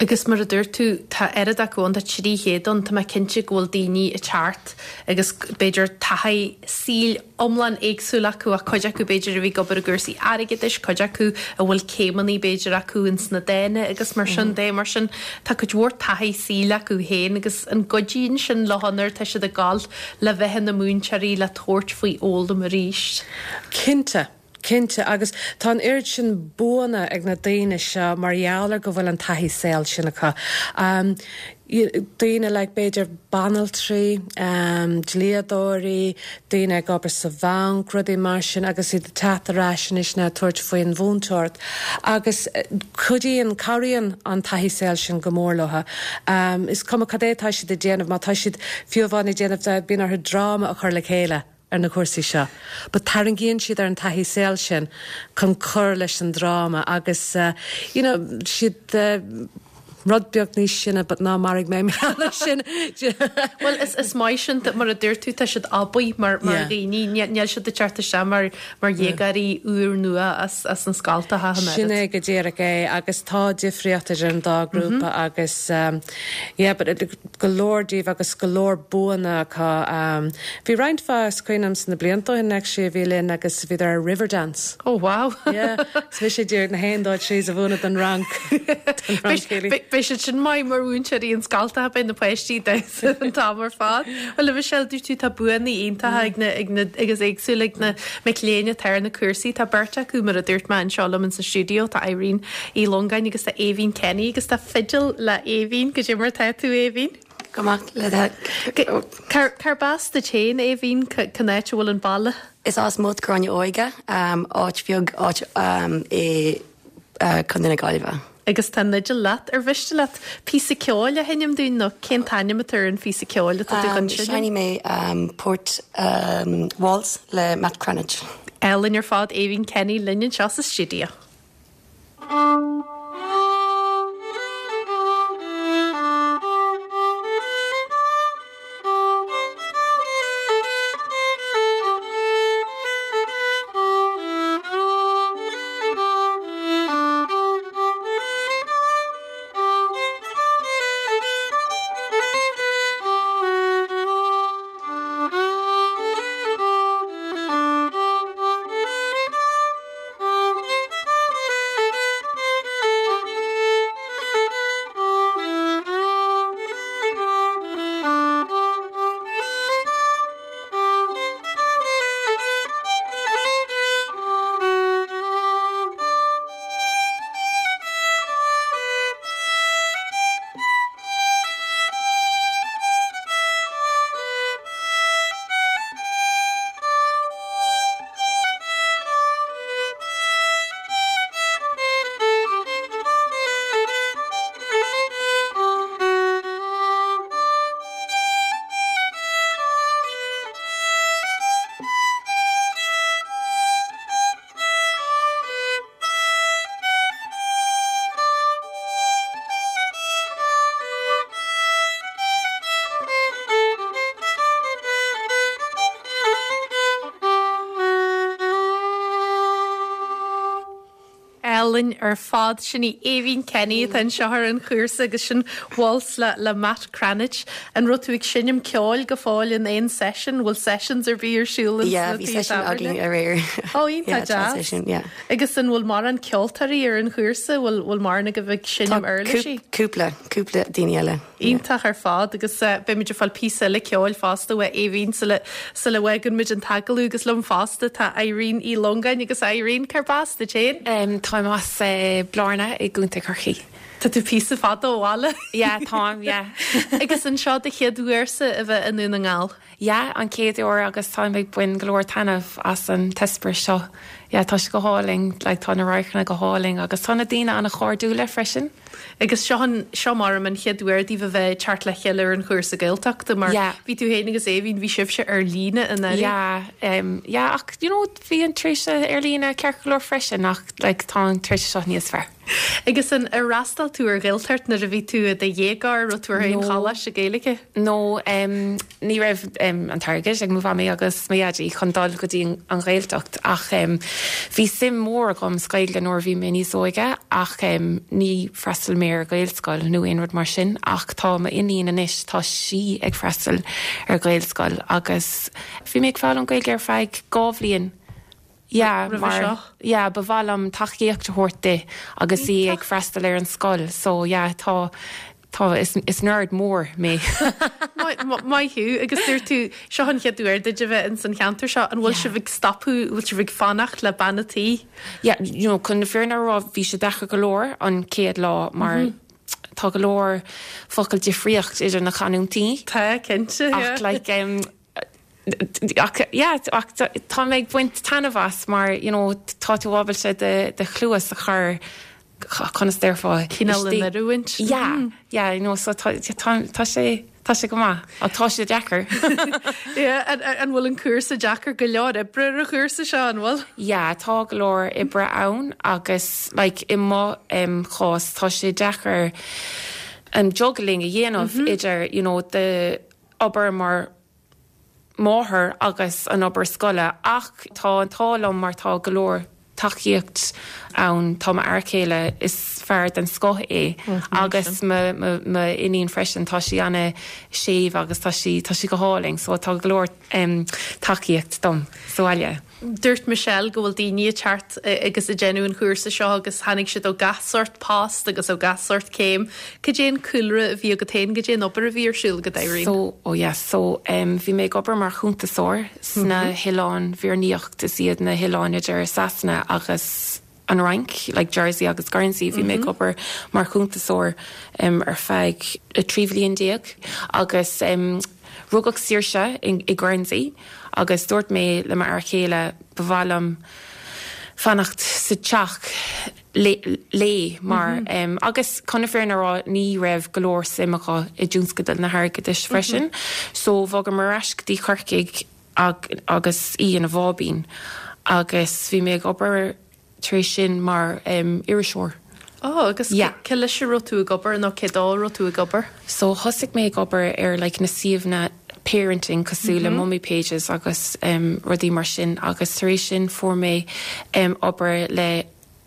Agus mar a dúirt tú, tá oiread acu ann, tá 300 ann, tá mé cinnte go bhfuil daoine ag teacht agus b'fhéidir taithí saoil iomlán éagsúil acu ach cuid acu b'fhéidir a bhí ag obair i gcúrsaí airgeadais, cuid acu a bhfuil céimeanna b'fhéidir acu ins na dána agus mar sin de. Mar sin tá cuid mhór taithí saoil acu féin agus an gcuidíonn sin leo nuair atá siad ag gabháil le bheith ina múinteoirí le tabhairt faoi fhoghlaim arís? Cinnte. Cinnte, agus tá an oiread sin buanna ag na daoine seo mar gheall ar go bhfuil an taithí saoil sin acu. Daoine like b'fhéidir banaltraí, dlíodóirí, daoine ag obair sa bhanc, rudaí mar sin agus iad ag teacht ar ais anois now ag tabhairt faoin mhúinteoireacht. Agus cuidíonn, cabhraíonn an taithí saoil sin go mór leo. Is cuma cad é atá siad ag déanamh, má tá siad fiú amháin ag déanamh, bíonn orthu dráma a chur le chéile. ar na cúrsaí seo. But tarraingíonn siad ar an taithí saoil sin chun cur leis an dráma agus you know siad rud beag níos sine but ná maraigh mé mé leis sin. Bhuel is is maith sin mar a dúirt tú tá siad aibí mar mar dhaoine níl siad ag teacht isteach mar mar dhéagóirí úr nua as as an scoil tá an Sin é go díreach é agus tá difríocht idir an dá grúpa agus yeah but go leor díobh agus go leor buanna acu. Bhí roinnt mhaith, is cuimhin liom sna blianta ó shin actually a bhí linn agus bhíodar ar Riverdance. Oh wow! Yeah, so bhí sé díreach na haon dó trís a mhúineadh don rang, don rang céilí. Beidh siad sin maith mar mhúinteoirí an scoltacha, beidh na páistí ag damhsa an t-am ar fad. Bhuel a Mhichelle, dúirt tú tá buanna iontacha ag na, ag na, agus éagsúla ag na mic léinn atá ar na cúrsaí. Tá beirt acu mar a dúirt mé anseo liom in sa stiúideo, tá Irene Uí Longáin agus tá Aoibhín Kenny agus tá fidil le Aoibhín. Goidé mar tá tú, Aoibhín? go maith le do. Cárb as duit féin, Aoibhín? Cén áit a bhfuil an baile? Is as Molt Gráinne Óige, áit bheag, áit i Contae na Gaillimhe. Agus tá an fhidil leat. Ar mhiste leat píosa ceoil a sheinm dúinn nó cén t-ainm atá ar an phíosa ceoil atá tú chun seinm? Seinnfidh mé port Waltz le Matt Cranitch. Álainn ar fad, Aoibhín Kenny linn anseo sa stiúideo. Álainn ar fad. Sin í Aoibhín Kenny atá anseo ar an chúrsa agus sin Waltz le le Matt Cranitch. An raibh tú ag seinm ceoil go fóill in aon session? Bhfuil sessions ar bith ar siúl ins Yeah, na bhí tithe session tábhairne? againn aréir. Ó, iontach Yeah, deas. session, yeah. Agus an bhfuil mórán ceoltóirí ar an chúrsa? Bhfuil bhfuil mórán agaibh ag Tá seinm uirlisí? cúpla, cúpla daoine eile. Iontach ar fad agus beimid ag fáil píosa eile ceoil fosta uait Aoibhín sula sula bhfágann muid an t-agallamh agus liom fosta tá Irene Uí Longáin agus Irene, cárb as duit féin? Táim as Blarna i gContae Chorcaí. Tá tú píosa fada ó bhaile. Yeah, táim, yeah. Agus an seo do chéad uairse a bheith i nDún na nGall? Yeah, an chéad uair agus táim ag bain go leor taitneamh as an t-eispéireas seo. Yeah, tá sé go hálainn, like tá na radharcanna go hálainn agus tá na daoine an-chairdiúla freisin. Agus seo an, seo maram an chéad uair daoibh a bheith ag teacht le chéile ar an chúrsa Gaeltachta mar Yeah. bhí tú féin agus Aoibhín, bhí sibhse ar líne anuraidh. Yeah, em, yeah ach you know bhí an tréimhse ar líne ceart go leor freisin ach like tá an tréimhse seo níos fearr. Agus an, ar fhreastail tú ar Ghaeltacht nuair a bhí tú i do dhéagóir, raibh tú ar aon No. choláiste Gaeilge? No, em, ní raibh an t-airgead ag mo mhamaí agus mo dhaidí chun dul go dtí an Ghaeltacht ach bhí suim mhór agam sa Ghaeilge nuair a bhí mé níos óige ach ní freastal mé ar Ghaelscoil nó aon rud mar sin ach tá m'iníon anois, tá sí ag freastal ar Ghaelscoil agus bhí mé ag foghlaim Gaeilge ar feadh 2 bhliain. Yeah, Roimhe mar seo? yeah, ba mhaith liom tacaíocht a thabhairt di agus í ag freastal ar an scoil so yeah, tá tá is is nerd mór mé. Maith thú agus dúirt tú seo an chéad uair duit a bheith ins an cheantar seo an bhfuil Yeah. sibh ag stopadh bhfuil sibh ag fanacht le bean a' tí? Yeah, you know, chun na fírinne a rá bhí sé deacair go leor an chéad lá mar tá go leor focal difríocht idir na canúintí. Tá, cinnte, yeah. Ach like um, Ach yeah, ach tá mé ag baint taitneamh as mar you know tá tú ábalta do do chluas a chur conas déarfá Cineál in oiriúint. Yeah, yeah, you know so tá tá tá sé tá sé go maith ach tá sé deacair. Yeah, an an bhfuil an cúrsa deacair go leor oibre ar an chúrsa seo, an bhfuil? Yeah, tá go leor oibre ann agus like i mo em chás tá sé deacair an juggling a dhéanamh idir you know do obair mar máthair agus an obair scoile ach tá an t-ádh liom mar tá go leor tacaíocht ann, tá m'fhear céile, is fear den scoth é agus mo m'iníon freisin, tá sí ana séimh agus tá sí tá sí go hálainn so tá go leor tacaíocht dom sa bhaile. Dúirt Michelle go bhfuil daoine ag teacht agus ag déanamh an chúrsa seo agus tháinig siad ó gach sórt post agus ó gach sórt céim. Cad é an cúlra a bhí agat féin, cad é an obair a bhí ar siúl agat, Irene? So, oh yes, so em bhí mé ag obair mar chuntasóir sna hOileáin Mhír Naíocht, is iad na hoileáin idir Sasana agus. an Fhrainc, like Jersey agus Guernsey, bhí mé ag obair mar chuntasóir ar feadh 13 bhliain agus rugadh Saoirse i Guernsey agus dúirt mé le m'fhear chéile ba mhaith liom fanacht sa teach léi mar agus chun na fírinne a rá ní raibh go leor suim acu i dtionscadal na hairgeadais freisin so bhogamar ar ais go dtí Corcaigh agus í ina bháibín agus bhí mé ag obair tar éis sin mar iriseoir. Oh, agus Yeah. cé leis a raibh tú ag obair nó cé dó a raibh tú ag obair? So thosaigh mé ag obair ar like na suíomhanna parenting cosúil le Mummy Pages agus rudaí mar sin agus tar éis sin fuair mé obair le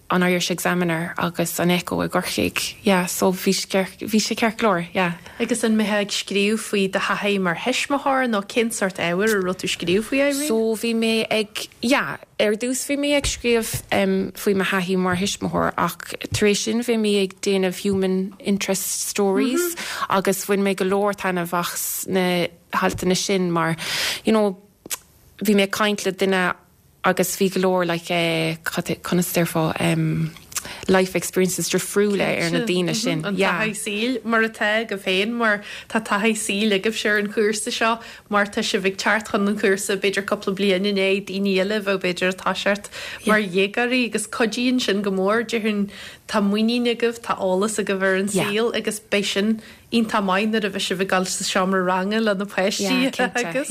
an Irish Examiner agus an Echo i gCorcaigh. Yeah, so bhí bhí sé ceart go leor, yeah. Agus an mbeifeá ag scríobh faoi do thaithí mar thuismitheoir nó cén sórt ábhair a raibh tú ag scríobh faoi, Irene? So bhí mé ag, yeah, ar dtús bhí mé ag scríobh faoi mo thaithí mar thuismitheoir ach tar éis sin bhí mé ag déanamh human interest stories agus bhain mé go leor taitneamh as na haltanna sin mar, you know, bhí mé ag caint le duine agus bhí go leor like eh conas a déarfá em life experiences difriúla ar na daoine sin. An taithí saoil mar atá agaibh féin mar tá taithí saoil agaibhse ar an chúrsa seo mar tá sibh ag teacht chun an chúrsa b'fhéidir cúpla bliain i ndiaidh daoine eile a bheadh b'fhéidir ag toiseacht mar dhéagóirí agus cuidíonn sin go mór déarfainn tá muinín agaibh tá eolas agaibh ar an saol agus beidh sin iontach maith nuair a bheidh sibh ag dul sa seomra ranga le na páistí agus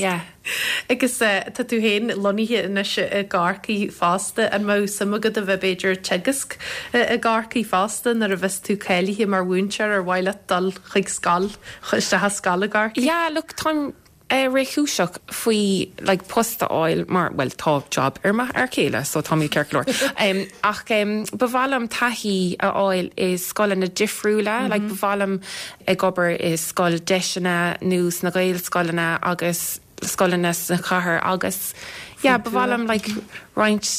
agus tá tú féin lonnaithe anois i gCorcaigh fosta, an mbeadh suim agat a bheith b'fhéidir ag teagasc i gCorcaigh fosta nuair a bheas tú cáilithe mar mhúinteoir ar mhaith leat dul chuig scoil, isteach i scoil i gCorcaigh? Yeah, look, táim réchúiseach faoi like post a fháil mar, bhuel tá job ar mo fhear céile so táimid ceart go leor. Ach ba mhaith liom taithí a fháil i scoileanna difriúla, like ba mhaith liom ag obair i scoil deiseanna nó sna Gaelscoileanna agus scoileanna sa chathair agus yeah ba mhaith liom like roinnt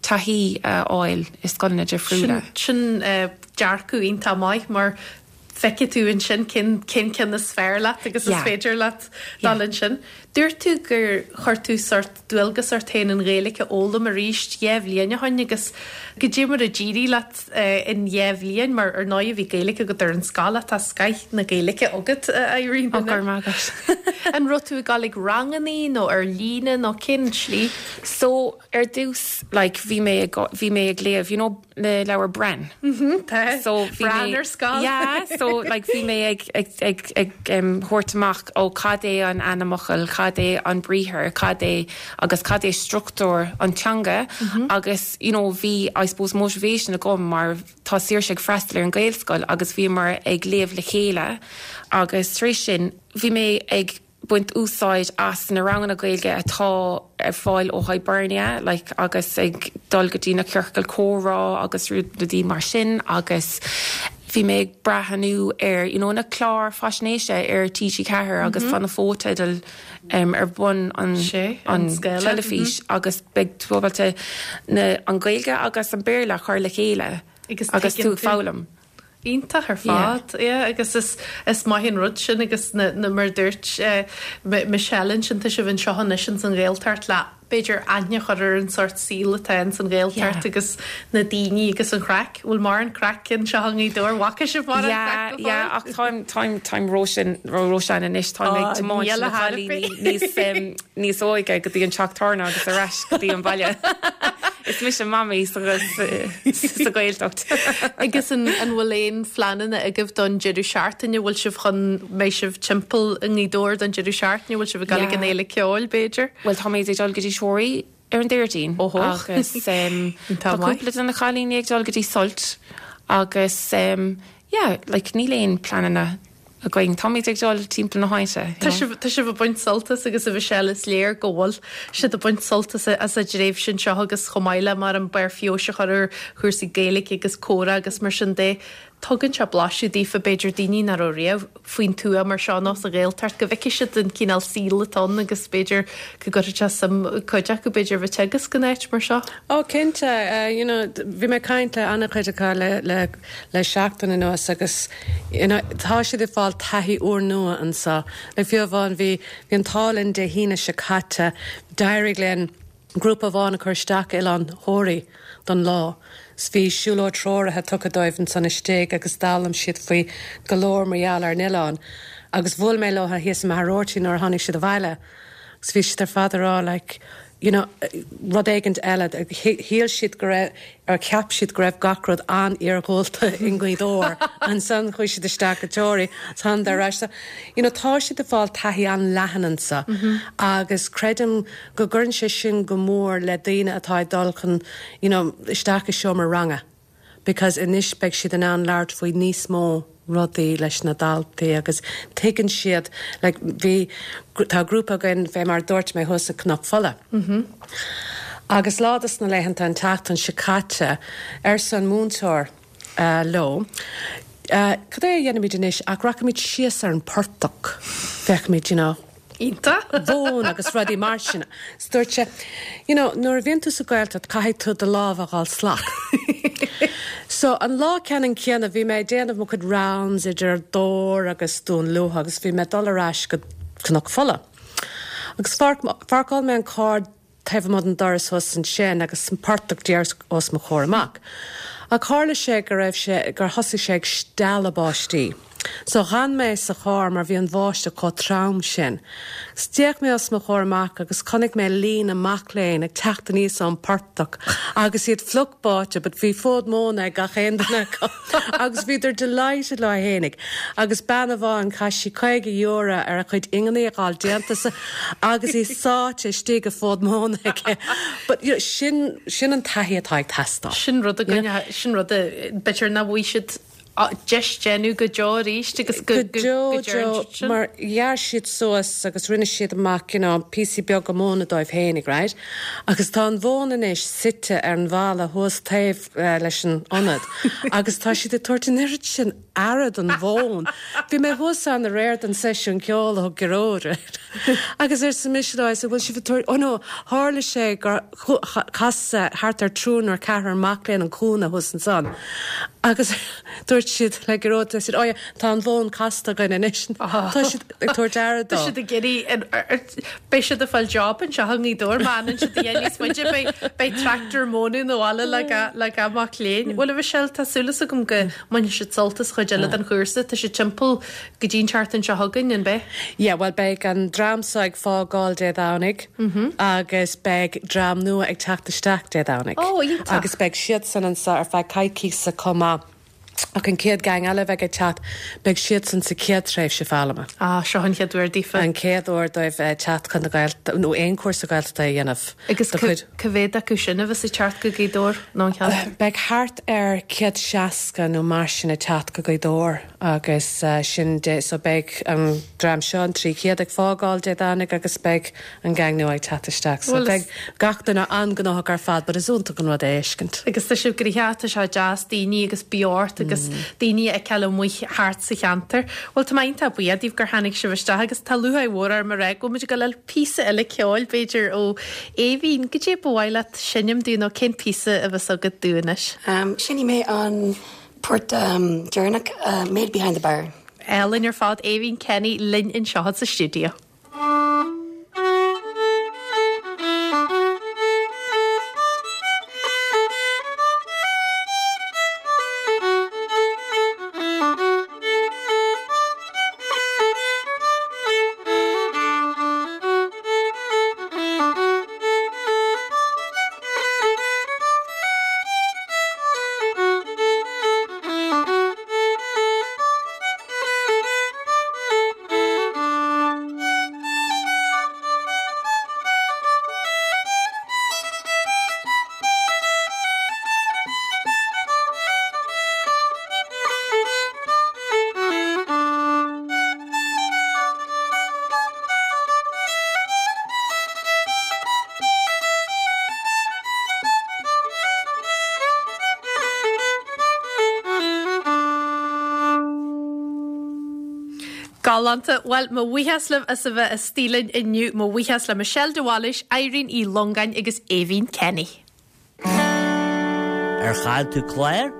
taithí a fháil i scoileanna difriúla. Sin dearcadh iontach maith mar feicfidh tú ansin cén cén ceann is fearr leat agus is féidir leat dul ansin. Dúirt tú gur chuir tú sórt dualgas ort féin an Ghaeilge a fhoghlaim arís dheich bhliain ó shoin agus goidé mar a d'éirigh leat in dheich bhliain mar ar ndóigh bhí Gaeilge agat ar an scoil ach tá scoith na Gaeilge agat a Irene. Ó go raibh maith agat. An raibh tú ag dul ag rangannaí nó ar líne nó cén tslí? So ar dtús like bhí mé ag bhí mé ag léamh you know na leabhair Bran. Tá. So bhí Bran mé ar scoil. Yeah so like bhí mé ag ag ag ag em thabhairt amach ó cad é an ainmfhocal, cad é an briathar, cad é agus cad é struchtúr an teanga agus you know bhí I suppose motivation agam mar tá Saoirse ag freastal ar an Gaelscoil agus bhíomar ag léamh le chéile agus tar éis sin bhí mé ag baint úsáid as na ranganna Gaeilge atá ar fáil ó Hibernia like agus ag dul go dtí na ciorcail comhrá agus rudaí mar sin agus bhí mé ag breathnú ar you know na cláir faisnéise ar TG4 agus tá na fotheidil um, ar bun an, Sé, an an scéala, teilifís agus beidh tú ábalta na, an Ghaeilge agus an Béarla a chur le chéile Agus agus tú tuigeann ag tú. foghlaim. Iontach ar fad, yeah, agus is is maith an rud sin agus na na mar a dúirt eh Michelle ansin tá sibh anseo anois ins an Ghaeltacht le b'fhéidir aithne a chur ar an sórt saoil atá ins an Ghaeltacht agus na daoine agus an chraic. Bhfuil mórán craic anseo i nGaoth Dobhair? Bhfaca sibh mórán Yeah, craic go yeah, fóill? ach táim táim táim róshean róshean anois táim ag Ó, tiomáint níl na a thar a cailíní bith. níos em níos óige go dtí an teach tábhairne agus ar ais go dtí an baile. Is mise mamaí sa sa Ghaeltacht. Agus an an bhfuil aon phleananna agaibh don deireadh seachtaine? Bhfuil sibh chun, mbeidh sibh timpeall i nGaoth Dobhair don deireadh seachtaine? Bhfuil sibh ag dul ag an Yeah. Fhéile Ceoil, b'fhéidir? Bhuel táimid ag dul go dtí Toraí ar an Déardaoin Óhó. agus Tá tá maith. cúpla de na cailíní ag dul go dtí Sult agus yeah like níl aon pleananna againn. Táimid ag dul timpeall na háite, you Tá know. sibh, tá sibh ag baint sult as agus a Mhichelle is léir go bhfuil siad ag baint sult as as an dtréimhse anseo agus chomh maith le mar an barr feabhais a chur ar chúrsaí Gaeilge agus comhrá agus mar sin de. Tugann sé blaiseadh daofa b'fhéidir daoine nach raibh riamh faoin tuath mar seo nó sa Ghaeltacht go bhfeicfidh siad an cineál saoil atá ann agus b'fhéidir go gcuirfidh sé suim cuid acu b'fhéidir a bheith ag teagasc in áit mar seo. Ó cinnte, you know bhí mé ag caint le an-chuid acu le le le seachtain anuas agus you know tá siad ag fáil taithí úrnua anseo. Like fiú amháin bhí bhí an t-ádh linn Dé hAoine seo caite, d'éirigh linn. Grúpa amháin a cuireadh isteach go Oileán Thoraí don lá 's bhí siúlóid treoraithe tugtha dóibh ansan istigh agus d'fhoghlaim siad faoi go leor mar gheall ar an oileán agus bhuail mé leo thíos i Machaire Rabhartaigh nuair a tháinig siad abhaile agus bhí siad ar fad ag rá like you know rud éigint eile shíl siad go raibh or cheap siad go raibh gach rud an-iargúlta i nGaoth Dobhair ansan chuaigh siad isteach go Toraigh 's thánadar ar ais so you know tá siad ag fáil taithí an-leathan anso agus creidim go gcuireann sé sin go mór le daoine atá ag dul chun you know isteach i seomra ranga because anois beidh siad in ann labhairt faoi níos mó rudaí leis na daltaí agus tuigeann siad like bhí tá grúpa againn fé mar a dúirt mé thuas i Cnoc Fola agus lá dos na laethanta an tseachtain seo caite arsa an múinteoir leo cad é a dhéanfaimid anois ach rachaimid síos ar an portach féachfaimid you know Iontach. mhóin agus rudaí mar sin. 'S dúirt sé, you know, nuair a bhíonn tú sa Ghaeltacht caithfidh tú do lámha a dh'fháil salach. So an lá ceannann céanna bhí mé ag déanamh mo chuid rounds idir Dobhar agus Dún Lúiche agus bhí mé ag dul ar ais go Cnoc Fola. Agus pháirceáil mé an carr taobh amuigh den doras thuas ansin agus an portach díreach os mo chomhair amach. Ach tharla sé go raibh sé, gur thosaigh sé ag stealladh báistí. So dh'fhan mé sa charr mar bhí an bháisteach chomh trom sin. 'S d'fhéach mé os mo chomhair amach agus chonaic mé líne mac léinn ag teacht aníos ón portach agus iad fliuch báite but bhí fód móna ag gach aon duine acu agus bhíodar delighted leo fhéinig agus bean amháin chaith sí €50 ar a cuid ingeanaí a dh'fháil déanta sa agus í sáite istigh i bhfód móna aici. But you know sin, sin an taithí atá ag teastáil. Sin rud againn, sin rud a, b'fhéidir nach bhfaighidh siad deis déanamh go deo arís agus go, go deo, deo, mar ghearr siad suas agus rinne siad amach you know píosaí beaga móna dóibh fhéinig, right? Agus tá an mhóin anois suite ar an bhalla thuas taobh leis an ionad agus tá siad ag tabhairt an oiread sin aire don mhóin. Bhí mé thuas ann aréir don seisiún ceoil a thug Gearóid agus arsa mise leo, I said, bhfuil sibh ag tabhairt, oh no, tharla sé gur chas thart ar triúr nó ceathrar mac léinn an cúinne thuas ansan agus dúirt siad le Gearóid, I said, oh yeah, tá an mhóin casta againn anois. Tá siad ag tabhairt aire dó. Tá siad ag iarraidh, beidh siad ag fáil job anseo i nGaoth Dobhair má fhanann siad a dhath níos faide, beidh, beidh tractor móna 'na bhaile le gach, le gach mac léinn. Bhuel a Mhichelle, tá súil agam go mbainfidh siad sult as chuid eile den chúrsa. Tá sé timpeall go dtí an tseachtain seo chugainn, an beidh? Yeah, bhuel beidh an dream seo ag fágáil Dé Domhnaigh agus beidh dream nua ag teacht isteach Dé Domhnaigh. Oh, iontach. Agus beidh siadsan anseo ar feadh coicíosa chomh maith. Ach an chéad gang eile a bheidh ag teacht, beidh siadsan sa chéad tréimhse foghlama. Ah, seo an chéad uair daofa. An chéad uair dóibh teacht chun na Gaeltachta, nó aon chúrsa Gaeltachta a dhéanamh. Agus cá mhéad acu sin a bheas ag teacht go Gaoth Dobhair nó an ceantar? Beidh thart ar 160 nó mar sin ag teacht go Gaoth Dobhair agus sin Dé, so beidh an dream seo, an 300, ag fágáil Dé Domhnaigh agus beidh an gang nua ag teacht isteach. So beidh gach duine an-ghnóthach ar fad but is iontach an rud é a fheiscint. Agus tá sibh gnoitheach, tá sé deas daoine agus beocht agus daoine a fheiceáil amuigh thart sa cheantar. Bhuel tá mé iontach buíoch daoibh gur tháinig sibh isteach agus tá lúcháir mhór orm a rá go bhfuil muid ag dul a fháil píosa eile ceoil b'fhéidir ó Aoibhín. Goidé ba mhaith leat seinm dúinn nó cén píosa a bheas agat dúinn anois? Seinnfidh mé an port deireanach, Maid Behind the Bar. Álainn ar fad, Aoibhín Kenny linn anseo sa stiúideo. Galánta. Bhuel, mo bhuíochas libh as a bheith istigh linn inniu. Mo bhuíochas le Michelle de Bhailís, Irene Uí Longáin agus Aoibhín Kenny. Ar chaill tú clár?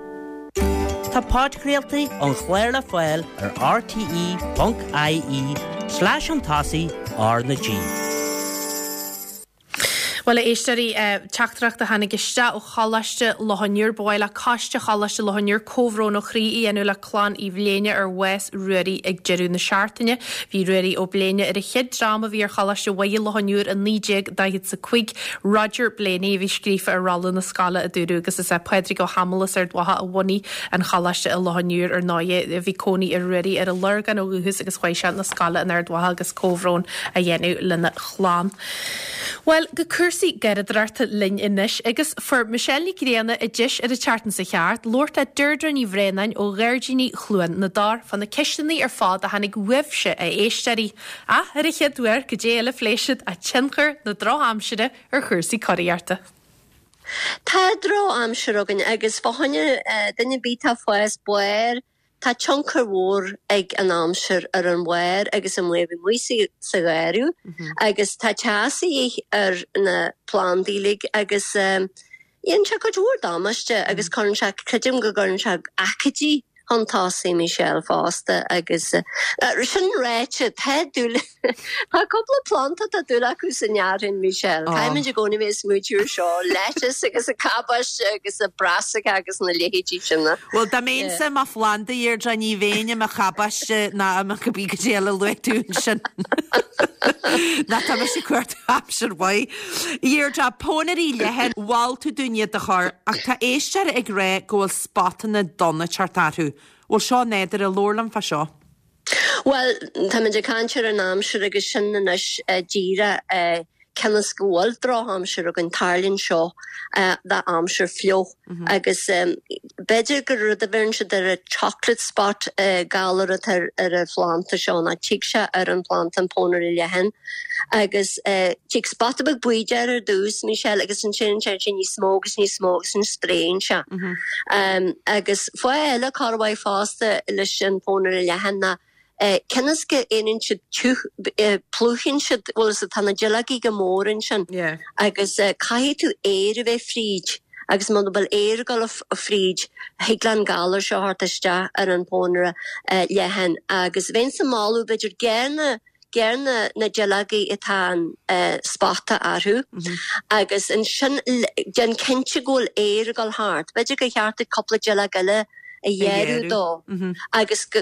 Tá podchraoltaí an chláir le fáil ar rte.ie slash chun tosaigh R na G. Bhuel, a éisteoirí, teachtaireacht a tháinig isteach ó Choláiste Loch an Iúir, ba mhaith le Coiste Choláiste Loch an Iúir comhbhrón ó chroí a dhéanamh le clann Uí Bhléine ar bhás Ruairí ag deireadh na seachtaine. Bhí Ruairí Ó Bléine ar an chéad dream a bhí ar Choláiste Mhuire Loch an Iúir i 1945. Roger Blaney a bhí scríofa ar rolla na scoile, a dúradh, agus is é Pádraig Ó hAdhmaill as Ard Mhacha a bhunaigh an choláiste i Loch an Iúir ar ndóighe. Bhí cónaí ar Ruairí ar an Lorgain ó dhúchas agus chuaigh sé 'na scoile in Ard Mhacha agus comhbhrón a dhéanamh lena chlann. Bhuel, go cúrsaí garraíodóireachta linn anois agus fuair Michelle Ní Ghrianna an deis ar an tseachtain seo thart labhairt le Deirdre Ní Bhraonáin ó Ghairdíní Chluain na dTor fá na ceisteanna ar fad a tháinig uaibhse, a éisteoirí. Ach ar an chéad uair, goidé eile a phléigh siad ach tionchar na drochaimsire ar chúrsaí curaíochta. Tá drochaimsir againn agus fá choinne duine ar bith atá ag fás barr, tá tionchar mhór ag an aimsir ar an bharr agus an bhfuil amuigh sa gharradh agus tá teas a dhíth ar na plandaí uilig agus dhéanann sé cuid mhór damáiste agus cuireann sé, creidim go gcuireann sé aicídí chun tosaigh, Michelle, fosta agus sin ráite, tá dúil, tá cúpla planda tá dúil acu san fhearthainn, Michelle. Caithfimid i gcónaí bheith ag smaointiú ar seo, lettuce agus an cabáiste agus an brassica agus na leithéidí sin. Bhuel, dá mbeinnse i mo phlanda, a Dheirdre, ní bheinn i mo chabáiste ná i mo cibé goidé eile a luaigh tú ansin. Ná tá mise ag cuartú aimsir mhaith. A Dheirdre, pónairí leathan, mhol tú dúinn iad a chur, ach tá éisteoir ag rá go bhfuil spotanna donna ag teacht orthu. Bhfuil seo nádúrtha? Labhair liom fá seo. Bhuel, táimid ag caint ar an aimsir agus sin anois díreach cionn is go bhfuil drochaimsir againn, tarlaíonn seo d'aimsir fliuch agus b'fhéidir gur rud a bheireann siad ar a chocolate spot galar atá ar an phlanda seo ná tig sé ar an phlanda an pónaire leathan agus tig spota beag buí de ar dtús, Michelle, agus ansin téann sé níos mó agus níos mó agus ansin spréann sé. Agus fáth eile corruair fosta leis an phónaire leathan ná cionn is go éiríonn siad tiugh, plúchann siad, bhfuil fhios agat, tá na duilleogaí go mór ansin agus caithfidh tú aer a bheith fríd agus muna bhfuil aer ag dul fríd thig le an galar seo theacht isteach ar an phónaire leathan agus bheinnse ag moladh b'fhéidir gearr na Gearr na na duilleogaí atá an spota orthu agus ansin déan cinnte go bhfuil aer ag dul thart. B'fhéidir gur cheart duit cúpla duilleog eile a ghearradh dó agus go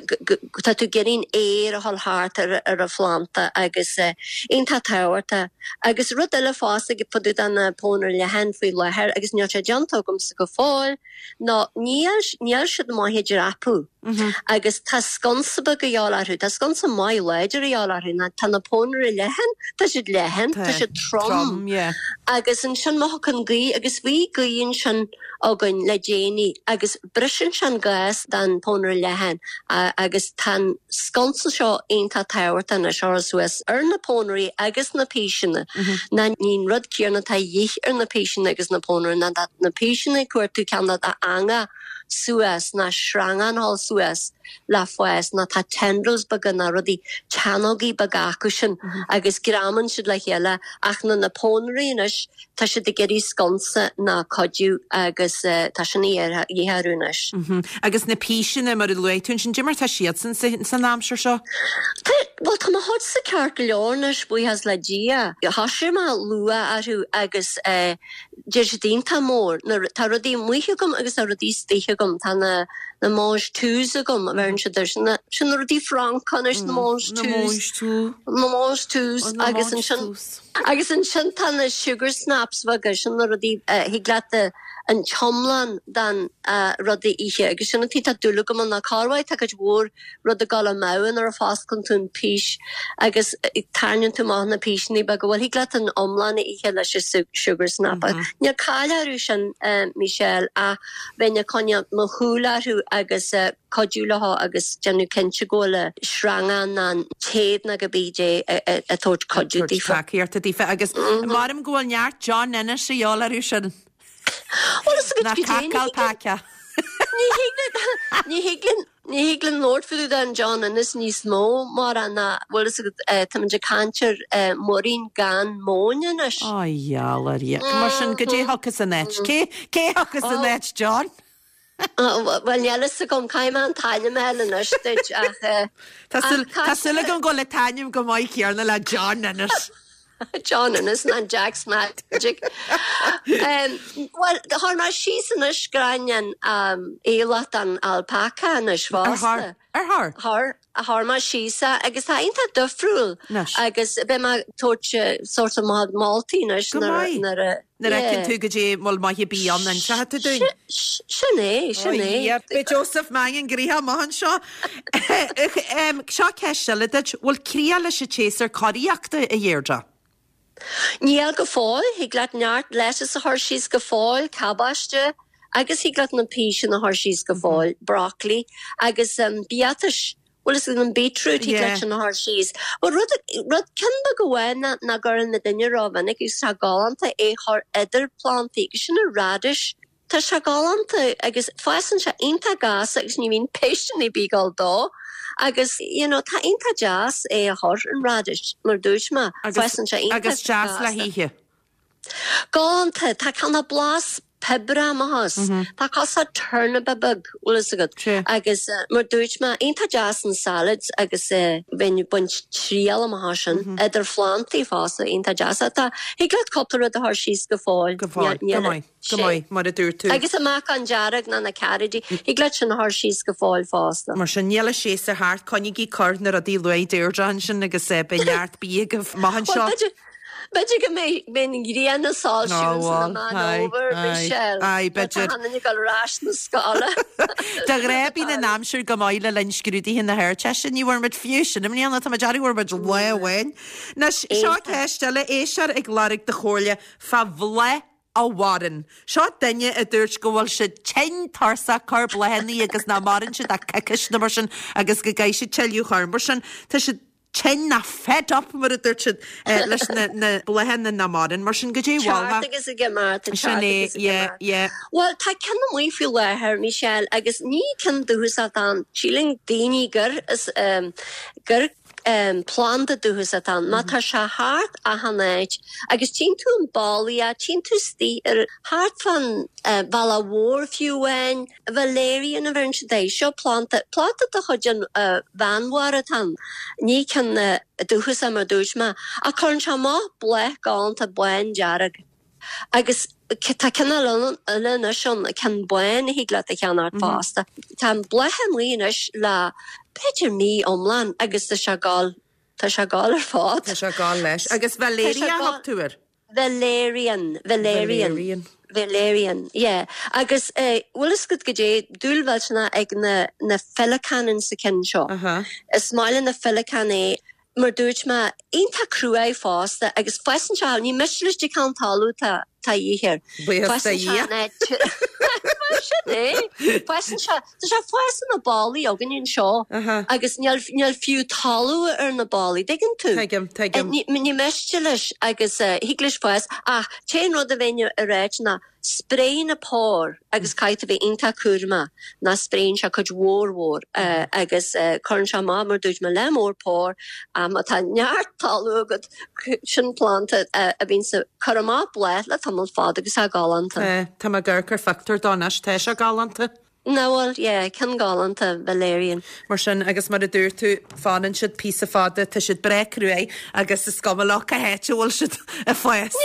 tá tú ag iarraidh an aer a dhul thart ar ar an phlanda agus iontach tábhachtach. Agus rud eile fosta fá dtaobh de na pónaire leathan faoi láthair agus níl sé déanta agamsa go fóill ná níl níl siad maith ag dreapadh. Agus tá sconsa beag a dhíobháil orthu, tá sconsa maith láidir a dhíobháil orthu, ná tá na pónairí leathan, tá siad leathan, tá siad trom. Agus ansin má thiocfaidh gaoth, agus bhí gaoth ansin againn le déanaí, agus briseann sé an gás den pónaire leathan agus tá an sconsa seo iontach tábhachtach anois a chur suas ar na pónairí agus na píseanna, ná ní an rud céanna atá a dhíth ar na píseanna agus na pónairí, ná tá na píseanna ag cuartú ceann d'eangach suas ná sreangán a dhul suas le fás ná tá tendrils beaga ná rudaí teannógaí beaga acu sin agus greamaíonn siad le chéile ach na na pónairí anois tá siad ag iarraidh sconsa ná cuidiú agus tá sin a dhíth orthu anois. Agus na píseanna mar a luaigh tú ansin, cad é mar tá siadsan san aimsir seo? Tá, bhuel tá mo chuidse ceart go leor anois buíochas le Dia. Thosaigh mé luath orthu agus eh, D'éirigh siad iontach mór. Tá rudaí amuigh agam agus tá rudaí istigh agam. Tá na na mange-touts agam, a bheireann siad air. Sin na sin na rudaí Francacha anois, na mange-touts. Na mange-touts. Agus ansin agus ansin tá na sugar snaps bheaga, sin na rudaí a thig leat an t-iomlán den rud a ithe. Agus sin an taobh tá dúil agam ann ná corruair tá cuid mhór rud ag dul amú nuair a fosclann tú an pís agus tarraingíonn tú amach na píseanna beaga. Bhuel, thig leat an iomlán a ithe leis an sugar snap. Níl caill orthu sin, Michelle, ach bheinn ag coinneáil mo shúil orthu agus cuidiú leo agus déanamh cinnte go bhfuil an sreangán ná an téad ná cibé dé ag tabhairt cuidiú daofa. Tacaíochta daofa agus maram go bhfuil neart John Ennis a dhíobháil orthu sin. Bhuel, is Ná cadhcáil paice. Ní thig linn, ní thig linn, ní thig linn labhairt fá dtaobh den John Ennis níos mó mar ná, bhfuil fhios agat, táimid ag caint ar muirín gan móin anois. Ó, gheall ar Dhia. Mar sin, goidé a thiocfas ina áit? Cé, cé a thiocfas ina áit, John? Bhuel, níl fhios agam, caithfidh mé an t-ainm a fháil anois duit ach. Tá súil agam go bhfuil an t-ainm chomh maith céanna le John Ennis. John Ennis ná Jack's Magic. Bhuel, chuir mé síos anois gráinne an aoileach don alpaca anois fosta. Ar chuir? Chuir, chuir mé síos é agus tá iontach difriúil agus beidh mé ag tabhairt sórt of moltaí anois nuair a. Nuair a fheiceann tú goidé an bhfuil maith ar bith ann inseoidh tú dúinn. Sin é, sin é. Beidh Joseph Mangan gnoitheach amach anseo. Seo ceist eile duit, bhfuil críoch leis an tséasúr curaíochta, a Dheirdre? Níl go fóill, thig leat neart lettuce a chur síos go fóill, cabáiste, agus thig leat na píseanna a chur síos go fóill, broccoli, agus biatais, bhfuil fhios agat an beetroot, thig leat sin a chur síos. Bhuel rud, rud ceann beag amháin nach, nach gcuireann na duine rómhinic agus tá galánta é a chur idir plantaí agus sin an radish. Tá sé galánta agus fásann sé iontach gasta agus ní bhíonn péisteanna ar bith ag dul dó agus you know tá iontach deas é a chur, an radish, mar dúirt mé, fásann sé iontach Agus deas le hithe. Galánta, tá cineál blas piobarach amach as. Tá cosúil turnip beag, bhfuil fhios agat, agus mar dúirt mé, iontach deas in salads agus bheinn ag baint triail amach as sin, idir phlantaí fosta, iontach deas. Tá, thig leat cúpla rud a chur síos go fóill. Go fóill, go maith. Go maith, mar a dúirt tú. Agus an meacan dearg ná na caraidí, thig leat sin a chur síos go fóill fosta. Mar sin, níl an séasúr thart, coinnígí ag cur na rudaí a luaigh Deirdre ansin agus beidh neart bia agaibh amach anseo. Bhuel, b'fhéidir go mbeidh an ghrian ag soilsiú ins an Meán Fhómhair, Michelle. Aye, b'fhéidir. Tá ag dul ar ais na scoile. De ghnáth bíonn an aimsir go maith le linn scrúduithe na hArdteiste, ní bhfuair muid fiú sin i mbliana, tá mé ag dearmad bhfuair muid lá amháin. Anois, seo ceist eile, éisteoir ag lorg do chomhairle fá bhláth a mhaireann. Seo duine a dúirt go bhfuil siad tinn tuirseach ag cur bláthanna agus nach maireann siad ach coicís nó mar sin agus go gcaithfidh siad tuilleadh a chur. Mar sin, tá siad tinn ná fed up mar a dúirt siad leis na na bláthanna nach maireann. Mar sin, goidé a mholfá. Ceart agus ag imeacht, Sin ceart é, agus ag yeah, imeacht. yeah. Bhuel, tá ceann amuigh faoi láthair, Michelle, agus ní ceann dúchasach atá ann. Síleann daoine gur is gur Planda dúchasach atá ann. Má tá sé thart achan áit agus tchíonn tú an ballaí, tchíonn tú istigh ar thart fán bhealach mhór fiú amháin, valerian a bheireann siad air. Seo planda, planda de chuid an Mheánmhara atá ann. Ní ceann dúchasach mar dúirt mé. Ach cuireann sé amach bláth galánta bándearg. Agus tá cineál eile anois ann, ceann bán a thig leat a cheannacht fosta. Tá an bláth amuigh anois le b'fhéidir mí iomlán agus tá sé ag gabháil, tá sé ag gabháil ar fad. Tá sé ag gabháil leis. Agus Valeria a thug tú air? Valerian, Valerian. Valerian. Valerian, yeah. Agus bhfuil fhios agat goidé, dúil mhillteanach ag na, na féileacáin insa cionn seo. Is maith le na féileacáin é. Mar dúirt mé, iontach cruaidh fosta agus fásann sé, ní miste leis an cineál talamh atá de dhíth air. Buíochas do Fásann sé Dhia. in áit, mar sin é, fásann sé, tá sé ag fás ar na ballaí againn anseo agus níl, níl fiú talamh ar na ballaí, dtuigeann tú? Tuigim, tuigim. Ní, ní miste leis agus thig leis fás ach t-aon rud a bheinn a ráit ná Spréigh na pár agus caithfidh tú bheith iontach cúramach ná spréann sé cuid mhór mhór agus cuireann sé amach mar dúirt mé leath mór pár má tá neart talamh agat sin planda a bhíonn ag cur amach bláth le tamall fada agus tá galánta. Tá, tá mé ag amharc ar phictiúr dó anois, tá sé galánta. Nach bhfuil, yeah, ceann galánta, Valerian. Mar sin, agus mar a dúirt tú, fanann siad píosa fada, tá siad breá cruaidh agus is cuma leo cá háit a bhfuil siad ag fás.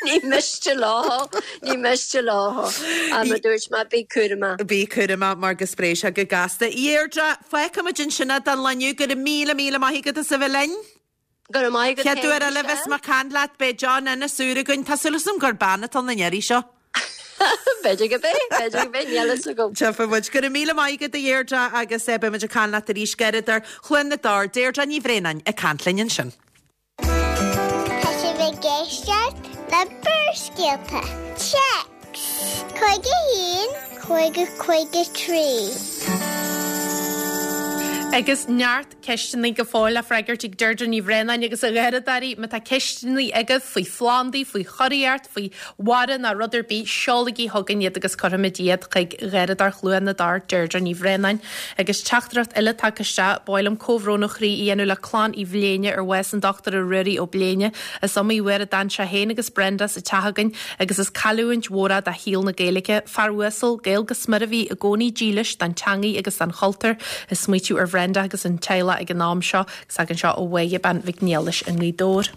Ní miste leo, ní miste leo. Ach mar dúirt mé, bí cúramach. Bí cúramach mar go spréigh sé go gasta. A Dheirdre, fágfaimid ansin é don lá inniu. Go raibh míle míle maith agat as a bheith linn. Go raibh maith agat Chéad uair eile a bheas mé ag caint leat, beidh John Ennis úr againn. Tá súil agam gur bean atá ann an iarraidh seo. B'fhéidir go b'é, b'fhéidir go b'é, níl fhios agam. Tchífidh muid. Go raibh míle maith agat a Dheirdre agus beidh muid ag caint leat arís gairid ar Chluain na dTor. Deirdre Ní Bhraonáin ag caint linn ansin. Tá sibh ag éisteacht le Barrscéalta. Téacs 51 50 53. Agus neart Ceisteanna go fóill le freagairt ag Deirdre Ní Bhraonáin agus a Gharradóirí. Má tá ceisteanna agaibh faoi phlandaí, faoi churaíocht, faoi bharra ná rud ar bith, seolaigí chugainn iad agus cuirfimid iad chuig Gharradóir Chluain na dTor, Deirdre Ní Bhraonáin. Agus teachtaireacht eile tagtha isteach, Ba mhaith liom comhbhrón ó chroí a dhéanamh le clann Uí Bhléine ar bhás an Dochtúra Ruairí Ó Bléine. Is iomaí uair a d'fhan sé féin agus Brenda sa teach againn agus is cailliúint mhór é do shaol na Gaeilge. Fear uasal, Gael go smior a bhí i gcónaí dílis don teangaidh agus don chultúr. Ag smaoitiú ar. Bhrenda agus an teaghlach ag an am seo agus tagann seo ó Mháire Bean Mhic Niallais i nGaoth Dobhair.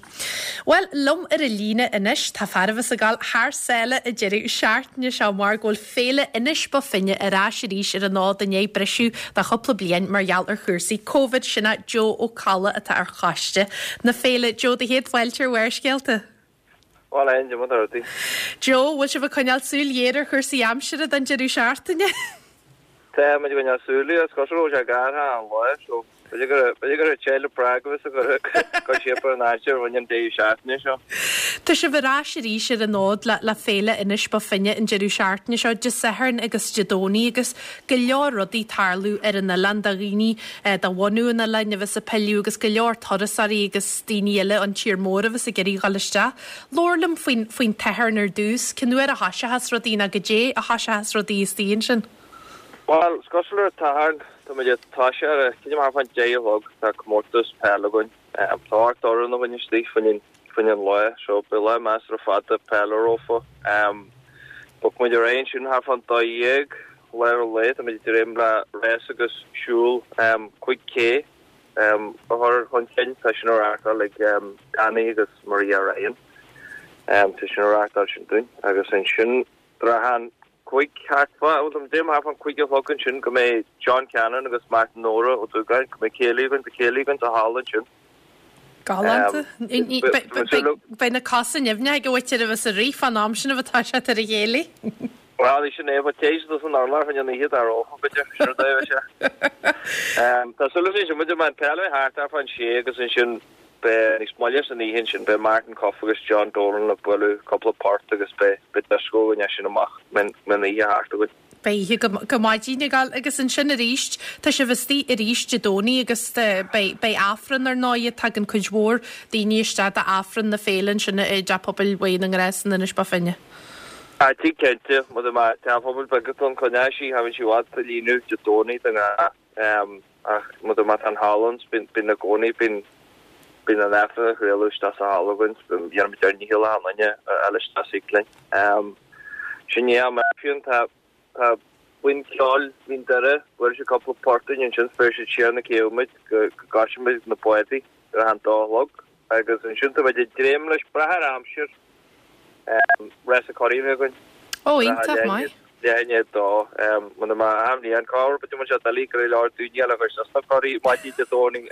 Bhuel, liom ar an líne anois tá fear a bheas ag dul thar sáile an deireadh seachtaine seo mar go bhfuil Féile Inis Bó Finne ar ais arís ar an fhód i ndiaidh briseadh do chúpla bliain mar gheall ar chúrsaí Covid. Sin é Joe Ó Colla atá ar choiste na féile. Joe, do chéad fáilte ar Bharrscéalta. Bhuel, a Áine, mother rudaí. Joe, bhfuil sibh ag coinneáil súil ghéar ar chúrsaí aimsire don deireadh seachtaine? Tá muid ag coinneáil súil air, is cosúil go bhfuil sé gartha an lá so b'fhéidir gur b'fhéidir gur ag téile Prague a bheas ag cur cur síob ar an aimsir a bhain an deireadh seachtaine seo. Tá sibh ar ais arís ar an fhód le le Féile Inis Bó Finne an deireadh seachtaine seo, Dé Sathairn agus Dé Domhnaigh agus go leor rudaí tarlú ar an oileán do dhaoine de bhunú an oileáin a bheas ag pilleadh agus go leor turasóirí agus daoine eile ón tír mór a bheas ag iarraidh dhul isteach. Labhair liom faoin faoin tSatharn ar dtús. Cén uair a thoiseochas rudaí nó goidé a thoiseochas rudaí istigh ansin? Bhuel, is cosúil ar an tSatharn, tá muid ag toiseacht ar, creidim thart fán deich a chlog, tá comórtas peile againn. Tá 8 fhoireann againn istigh faoin faoin an lá so beidh lá measartha fada peile rompu. Bogfaidh muid ar aghaidh ansin thart fán 12 lár an lae, tá muid ag dréim le rás agus siúl 5K a chur chun cinn, tá sin á reáchtáil ag Danny agus Maria Ryan. Tá sin á reáchtáil sin dúinn agus ansin trátha an 5 thart fá, bhuel tá muid ag dréim thart fán 5 a chlog ansin go mbeidh John Cannon agus Martin Nóra Ó Dúgáin, go mbeidh céilí againn, beidh céilí againn sa halla ansin. Galánta. Beidh na cosa nimhneach ag an mhuintir a bheas ag rith fán am sin a bheith toiseacht ar an chéilí. Bhuel, sin é, but téigh siad san urlár chun an oíche dá rófa, b'fhéidir, sin rud é a bheidh sé. Tá súil againn sin, muid an peil a bheith thart ar fán sé agus ansin beidh níos moille san oíche ansin, beidh Martin Cuffe agus John Dolan ag bualadh cúpla port agus beidh beidh dioscó againn as sin amach, mbeidh an oíche thart againn. Beidh oíche go maidin ag dul agus ansin arís, tá sibh istigh arís Dé Domhnaigh agus beidh, beidh Aifreann ar ndóighe, tagann cuid mhór daoine isteach d'Aifreann na féile ansin i dTeach Pobail Mhaigh na nGrást in Inis Bó Finne. Ah, tig cinnte, mar a má teach pobail beag atá ann, coinneoidh sí, thagann sí i bhfad sa líonadh Dé Domhnaigh de ghnáth, ach mar a má tá an halla ann, bíonn, bíonn i gcónaí, bíonn, bíonn an Aifreann á chraoladh isteach sa halla againn, dhéanfaimid ár ndícheall achan duine a fháil isteach suigh linn. Sin é am Aifreann, tá, tá buíon ceoil Mhín Doire, bhuail siad cúpla port dúinn ansin, 's bhéarfaidh siad siar na céibhe muid go, go gcloisfidh muid na bádaí ar a dó a chlog agus ansin tá muid ag dréim leis, brath ar aimsir, Rás na gcuraí a bheith againn. Ó, iontach maith. Leath i ndiaidh a dó. Muna mbeadh achan bhliain, cá huair b'fhéidir muid doiligh go leor daoine eile a chur suas na curaí maidin Dé Domhnaigh.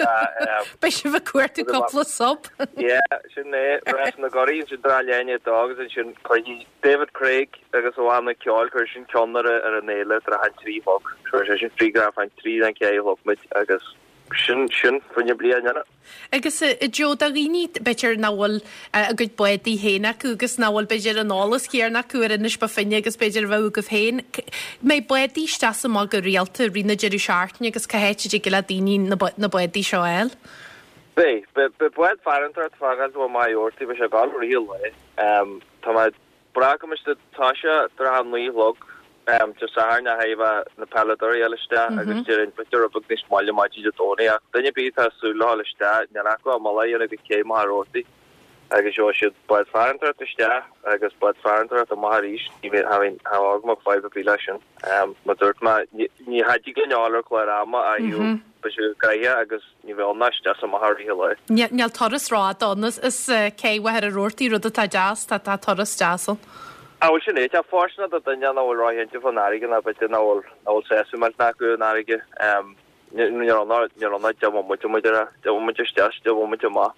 Beidh sibh ag cuartú cúpla sub. Yeah, sin é. Rás na gcuraí ansin trátha leath i ndiaidh a dó agus ansin cuirfidh David Craig agus a bhanna ceoil, cuirfidh sin ceann ar an fhéile trátha an 3 a chlog. Cuirfidh sé sin free go an 3 den 4 a chlog muid agus sin, sin, faoin bliain eile. Agus a Joe, do dhaoine, b'fhéidir, nach bhfuil a gcuid bádaí féin acu agus nach bhfuil, b'fhéidir, an eolas céanna acu ar Inis Bó Finne agus b'fhéidir a bheadh agaibh féin, mbeidh bádaí isteach is amach go rialta i rith na deireadh seachtaine agus cá háit a dtig le daoine na bádaí seo a fháil? Beidh. Beidh bád farantóireachta ag fágáil ó Mhaigh Eo, beidh sé ag gabháil i rith an lae. Tá mé Brath go mbeidh siad ag toiseacht trátha a naoi a chlog Dé Sathairn a thaobh na peileadóirí a fháil isteach agus déarfainn b'fhéidir rud beag níos moille maidin Dé Domhnaigh ach duine ar bith atá ag súil le dhul isteach níl acu ach mullach a dhéanamh go cé Machaire Rabhartaigh agus gheobhaidh siad bád farantóireachta isteach agus bád farantóireachta amach arís. Ní bheidh agam ach fadhb ar bith leis sin. Mar dúirt mé ní thig linn a fháil ar chlár ama ach beidh sé gnoitheach agus Ní bheidh ann ach isteach is amach i rith an lae. Níl turas rófhada ann as cé Mhachaire Rabhartaigh, rud atá deas, tá turas deas ann. Á bhuel sin é, tá fóirsteanach do duine nach bhfuil róchinnte fán fharraige ná b'fhéidir nach bhfuil nach bhfuil sásamh millteanach acu an fharraige. Níl ann ach níl ann ach deich mbomaite muid ar deich mbomaite isteach, deich mbomaite amach.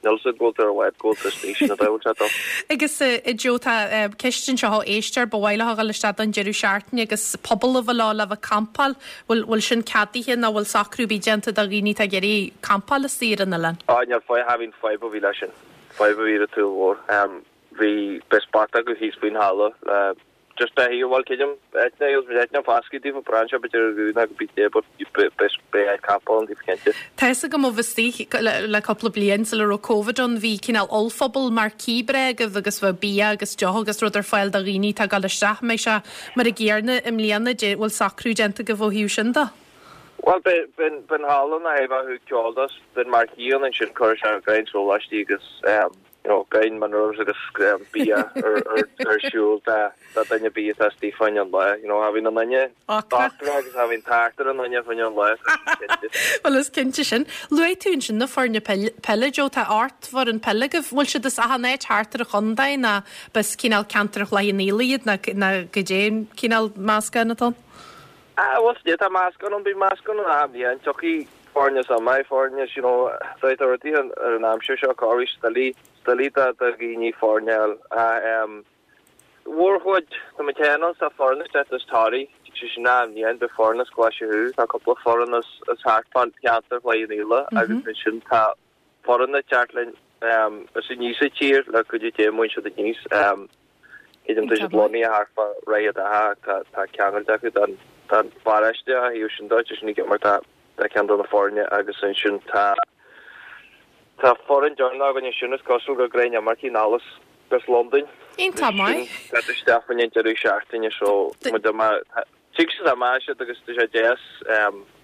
Níl fhios agat go bhfuil tú ar bhád, go bhfuil tú istigh, sin an dóigh a bhfuil sé dul. Agus a Joe, tá ceist anseo ó éisteoir, ba mhaith leo a dhul isteach don deireadh seachtaine agus puball a bheith leo le bheith ag campáil. Bhfuil, bhfuil sin ceadaithe nó bhfuil socrú ar bith déanta do dhaoine atá ag iarraidh campáil istigh ar an oileán? Á, níl fadhb, cha bhíonn fadhb ar bith leis sin. Fadhb ar bith ar an tsaol mhór. Bhí, beidh spota acu thíos faoin halla le Just beidh a bhfuil creidim áit na bhfuil áit na fascaidh daofa braitheann sé b'fhéidir ar dhún ná go bith dé but beidh beidh áit campáil ann daofa cinnte. Tá fhios agam ó bheith istigh le cúpla bliain sula raibh Covid ann bhí cineál ollphuball marquee breá agaibh agus bheadh bia agus deoch agus rud ar fáil do dhaoine atá ag dul isteach. An mbeidh sé mar an gcéanna i mbliana dé bhfuil socrú déanta agaibh ó thaobh sin de? Bhuel beidh beidh an halla na thaobh acu ceol dos beidh marquee ann ansin cuirfidh sé grean sóláistí agus. you know, gain minerals agus bia ar siúl do duine ar bith atá istigh fá choinne an lae. You know, tha bhíonn an duine ocrach agus tha bhíonn tart ar an duine fá choinne an lae, tá sin cinnte. Bhuel, is cinnte sin. Luaigh tú ansin na foirne peile, Joe, tá ocht bhfoireann peile agaibh. Bhfuil siad as achan áit thart ar an chontae nó b'as cineál ceantar Chloich Cheann Fhaola iad nó goidé an cineál meascán atá ann? Ah, bhuel, tá meascán ann, bíonn meascán ann achan bhliain, tiocfaidh foirne as Omaigh, foirne, you know, tá rudaí ar an aimsir seo, corruair doiligh, doiligh do dhaoine foirne a fháil. Ach em, mhórchuid, tá muid féin ann, tá foireann ag teacht as Toraigh, tig sé sin achan bhliain, beidh foireann as Glaise Chú, tá cúpla foireann as, as thart fán cheantar Chloich Cheann Fhaola agus ansin tá foireann ag teacht linn em, as aníos an tír, le cuidiú Dé, muin siad aníos. Em, Creidim tá siad lonnaithe thart fá Dhroichead Átha ach tá ceangal acu don pharóiste ó thaobh sin de, tá sin ag imirt do ceann de na foirne agus ansin tá tá foireann deireanach againn ansin is cosúil gur gnáth imircigh anall as Londain. Iontach maith. Tá isteach faoin deireadh seachtaine so muid Tig siad amach siad agus tá sé deas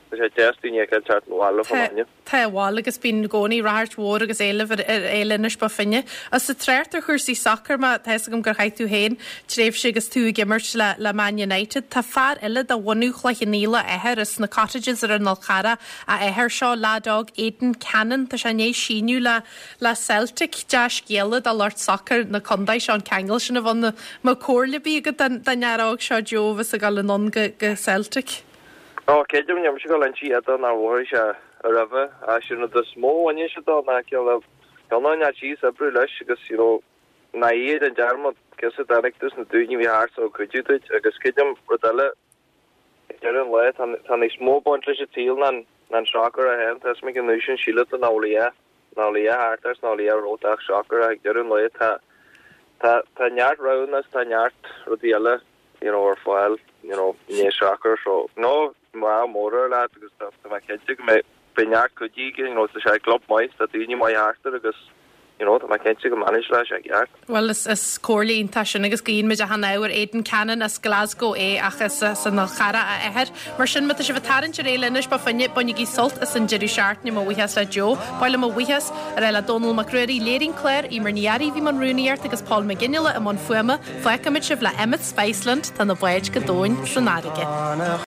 tá sé deas daoine a fheiceáil teacht abhaile fá choinne. Tá bhuel agus bíonn i gcónaí ráchairt mhór agus éileamh ar Fhéile Inis Bó Finne. Agus ag trácht ar chúrsaí sacair má tá fhios agam gur chaith tú féin tréimhse agus tú ag imirt le le Man United. Tá fear eile de bhunú Chloich Cheann Fhaola a athair as na Cottages ar an Fhál Charrach a athair seo, leaid óg Aidan Cannon. Tá sé i ndiaidh síniú le Le Celtic, dea-scéala do lucht sacair na contae seo an ceangal sin a bheith ann. An mbeadh comhairle ar bith agat don fhear óg seo Joe a bheas ag dul anonn go Celtic? Ó, creidim, níl mise ag dul a inse dó nár mhothaigh sé roimhe. Sin rud is mó a bhaineann sé dó ná cineál cineál neart síos oibriú leis agus you know ná iad an dearmad cos a dtáinig tú sna daoine a bhí thart so ag cuidiú duit agus creidim rud eile Ag deireadh an lae, tá níos mó ag baint leis an tsaol ná an sacar é féin. Tá 'fhios a'm an uair sin síleann tú nach bhfuil a dhath, nach bhfuil a dhath thart air 's nach bhfuil a dhath romhat ach sacar ach ag deireadh an lae tá, tá, tá neart roghanna is tá neart rudaí eile you know ar fáil you know i ndiaidh sacair so no, ádh mór air leat agus tá mé cinnte go mbeidh Beidh neart cuidí aige, you know, tá sé i gclub maith, tá daoine maith thart air agus, you know, tá mé cinnte go manage-óidh sé i gceart. Bhuel, is is comhairle iontach sin agus guíonn muid achan ádh ar Aidan Cannon as Glasgow é ach is as an Fhál Charrach a athair. Mar sin, má tá sibh ag tarraingt ar Fhéile Inis Bó Finne, bainigí sult as an deireadh seachtaine. Mo bhuíochas le Joe. Ba mhaith liom mo bhuíochas a rá le Dónal Mac Ruairí, léirigh an clár, Eimear Ní Fhearraigh, bhí i mbun rúnaíocht agus Paul Mac Fhionnghaile i mbun fuaime. Fágfaimid sibh le Emmet Spiceland, tá na báid go domhain san fharraige.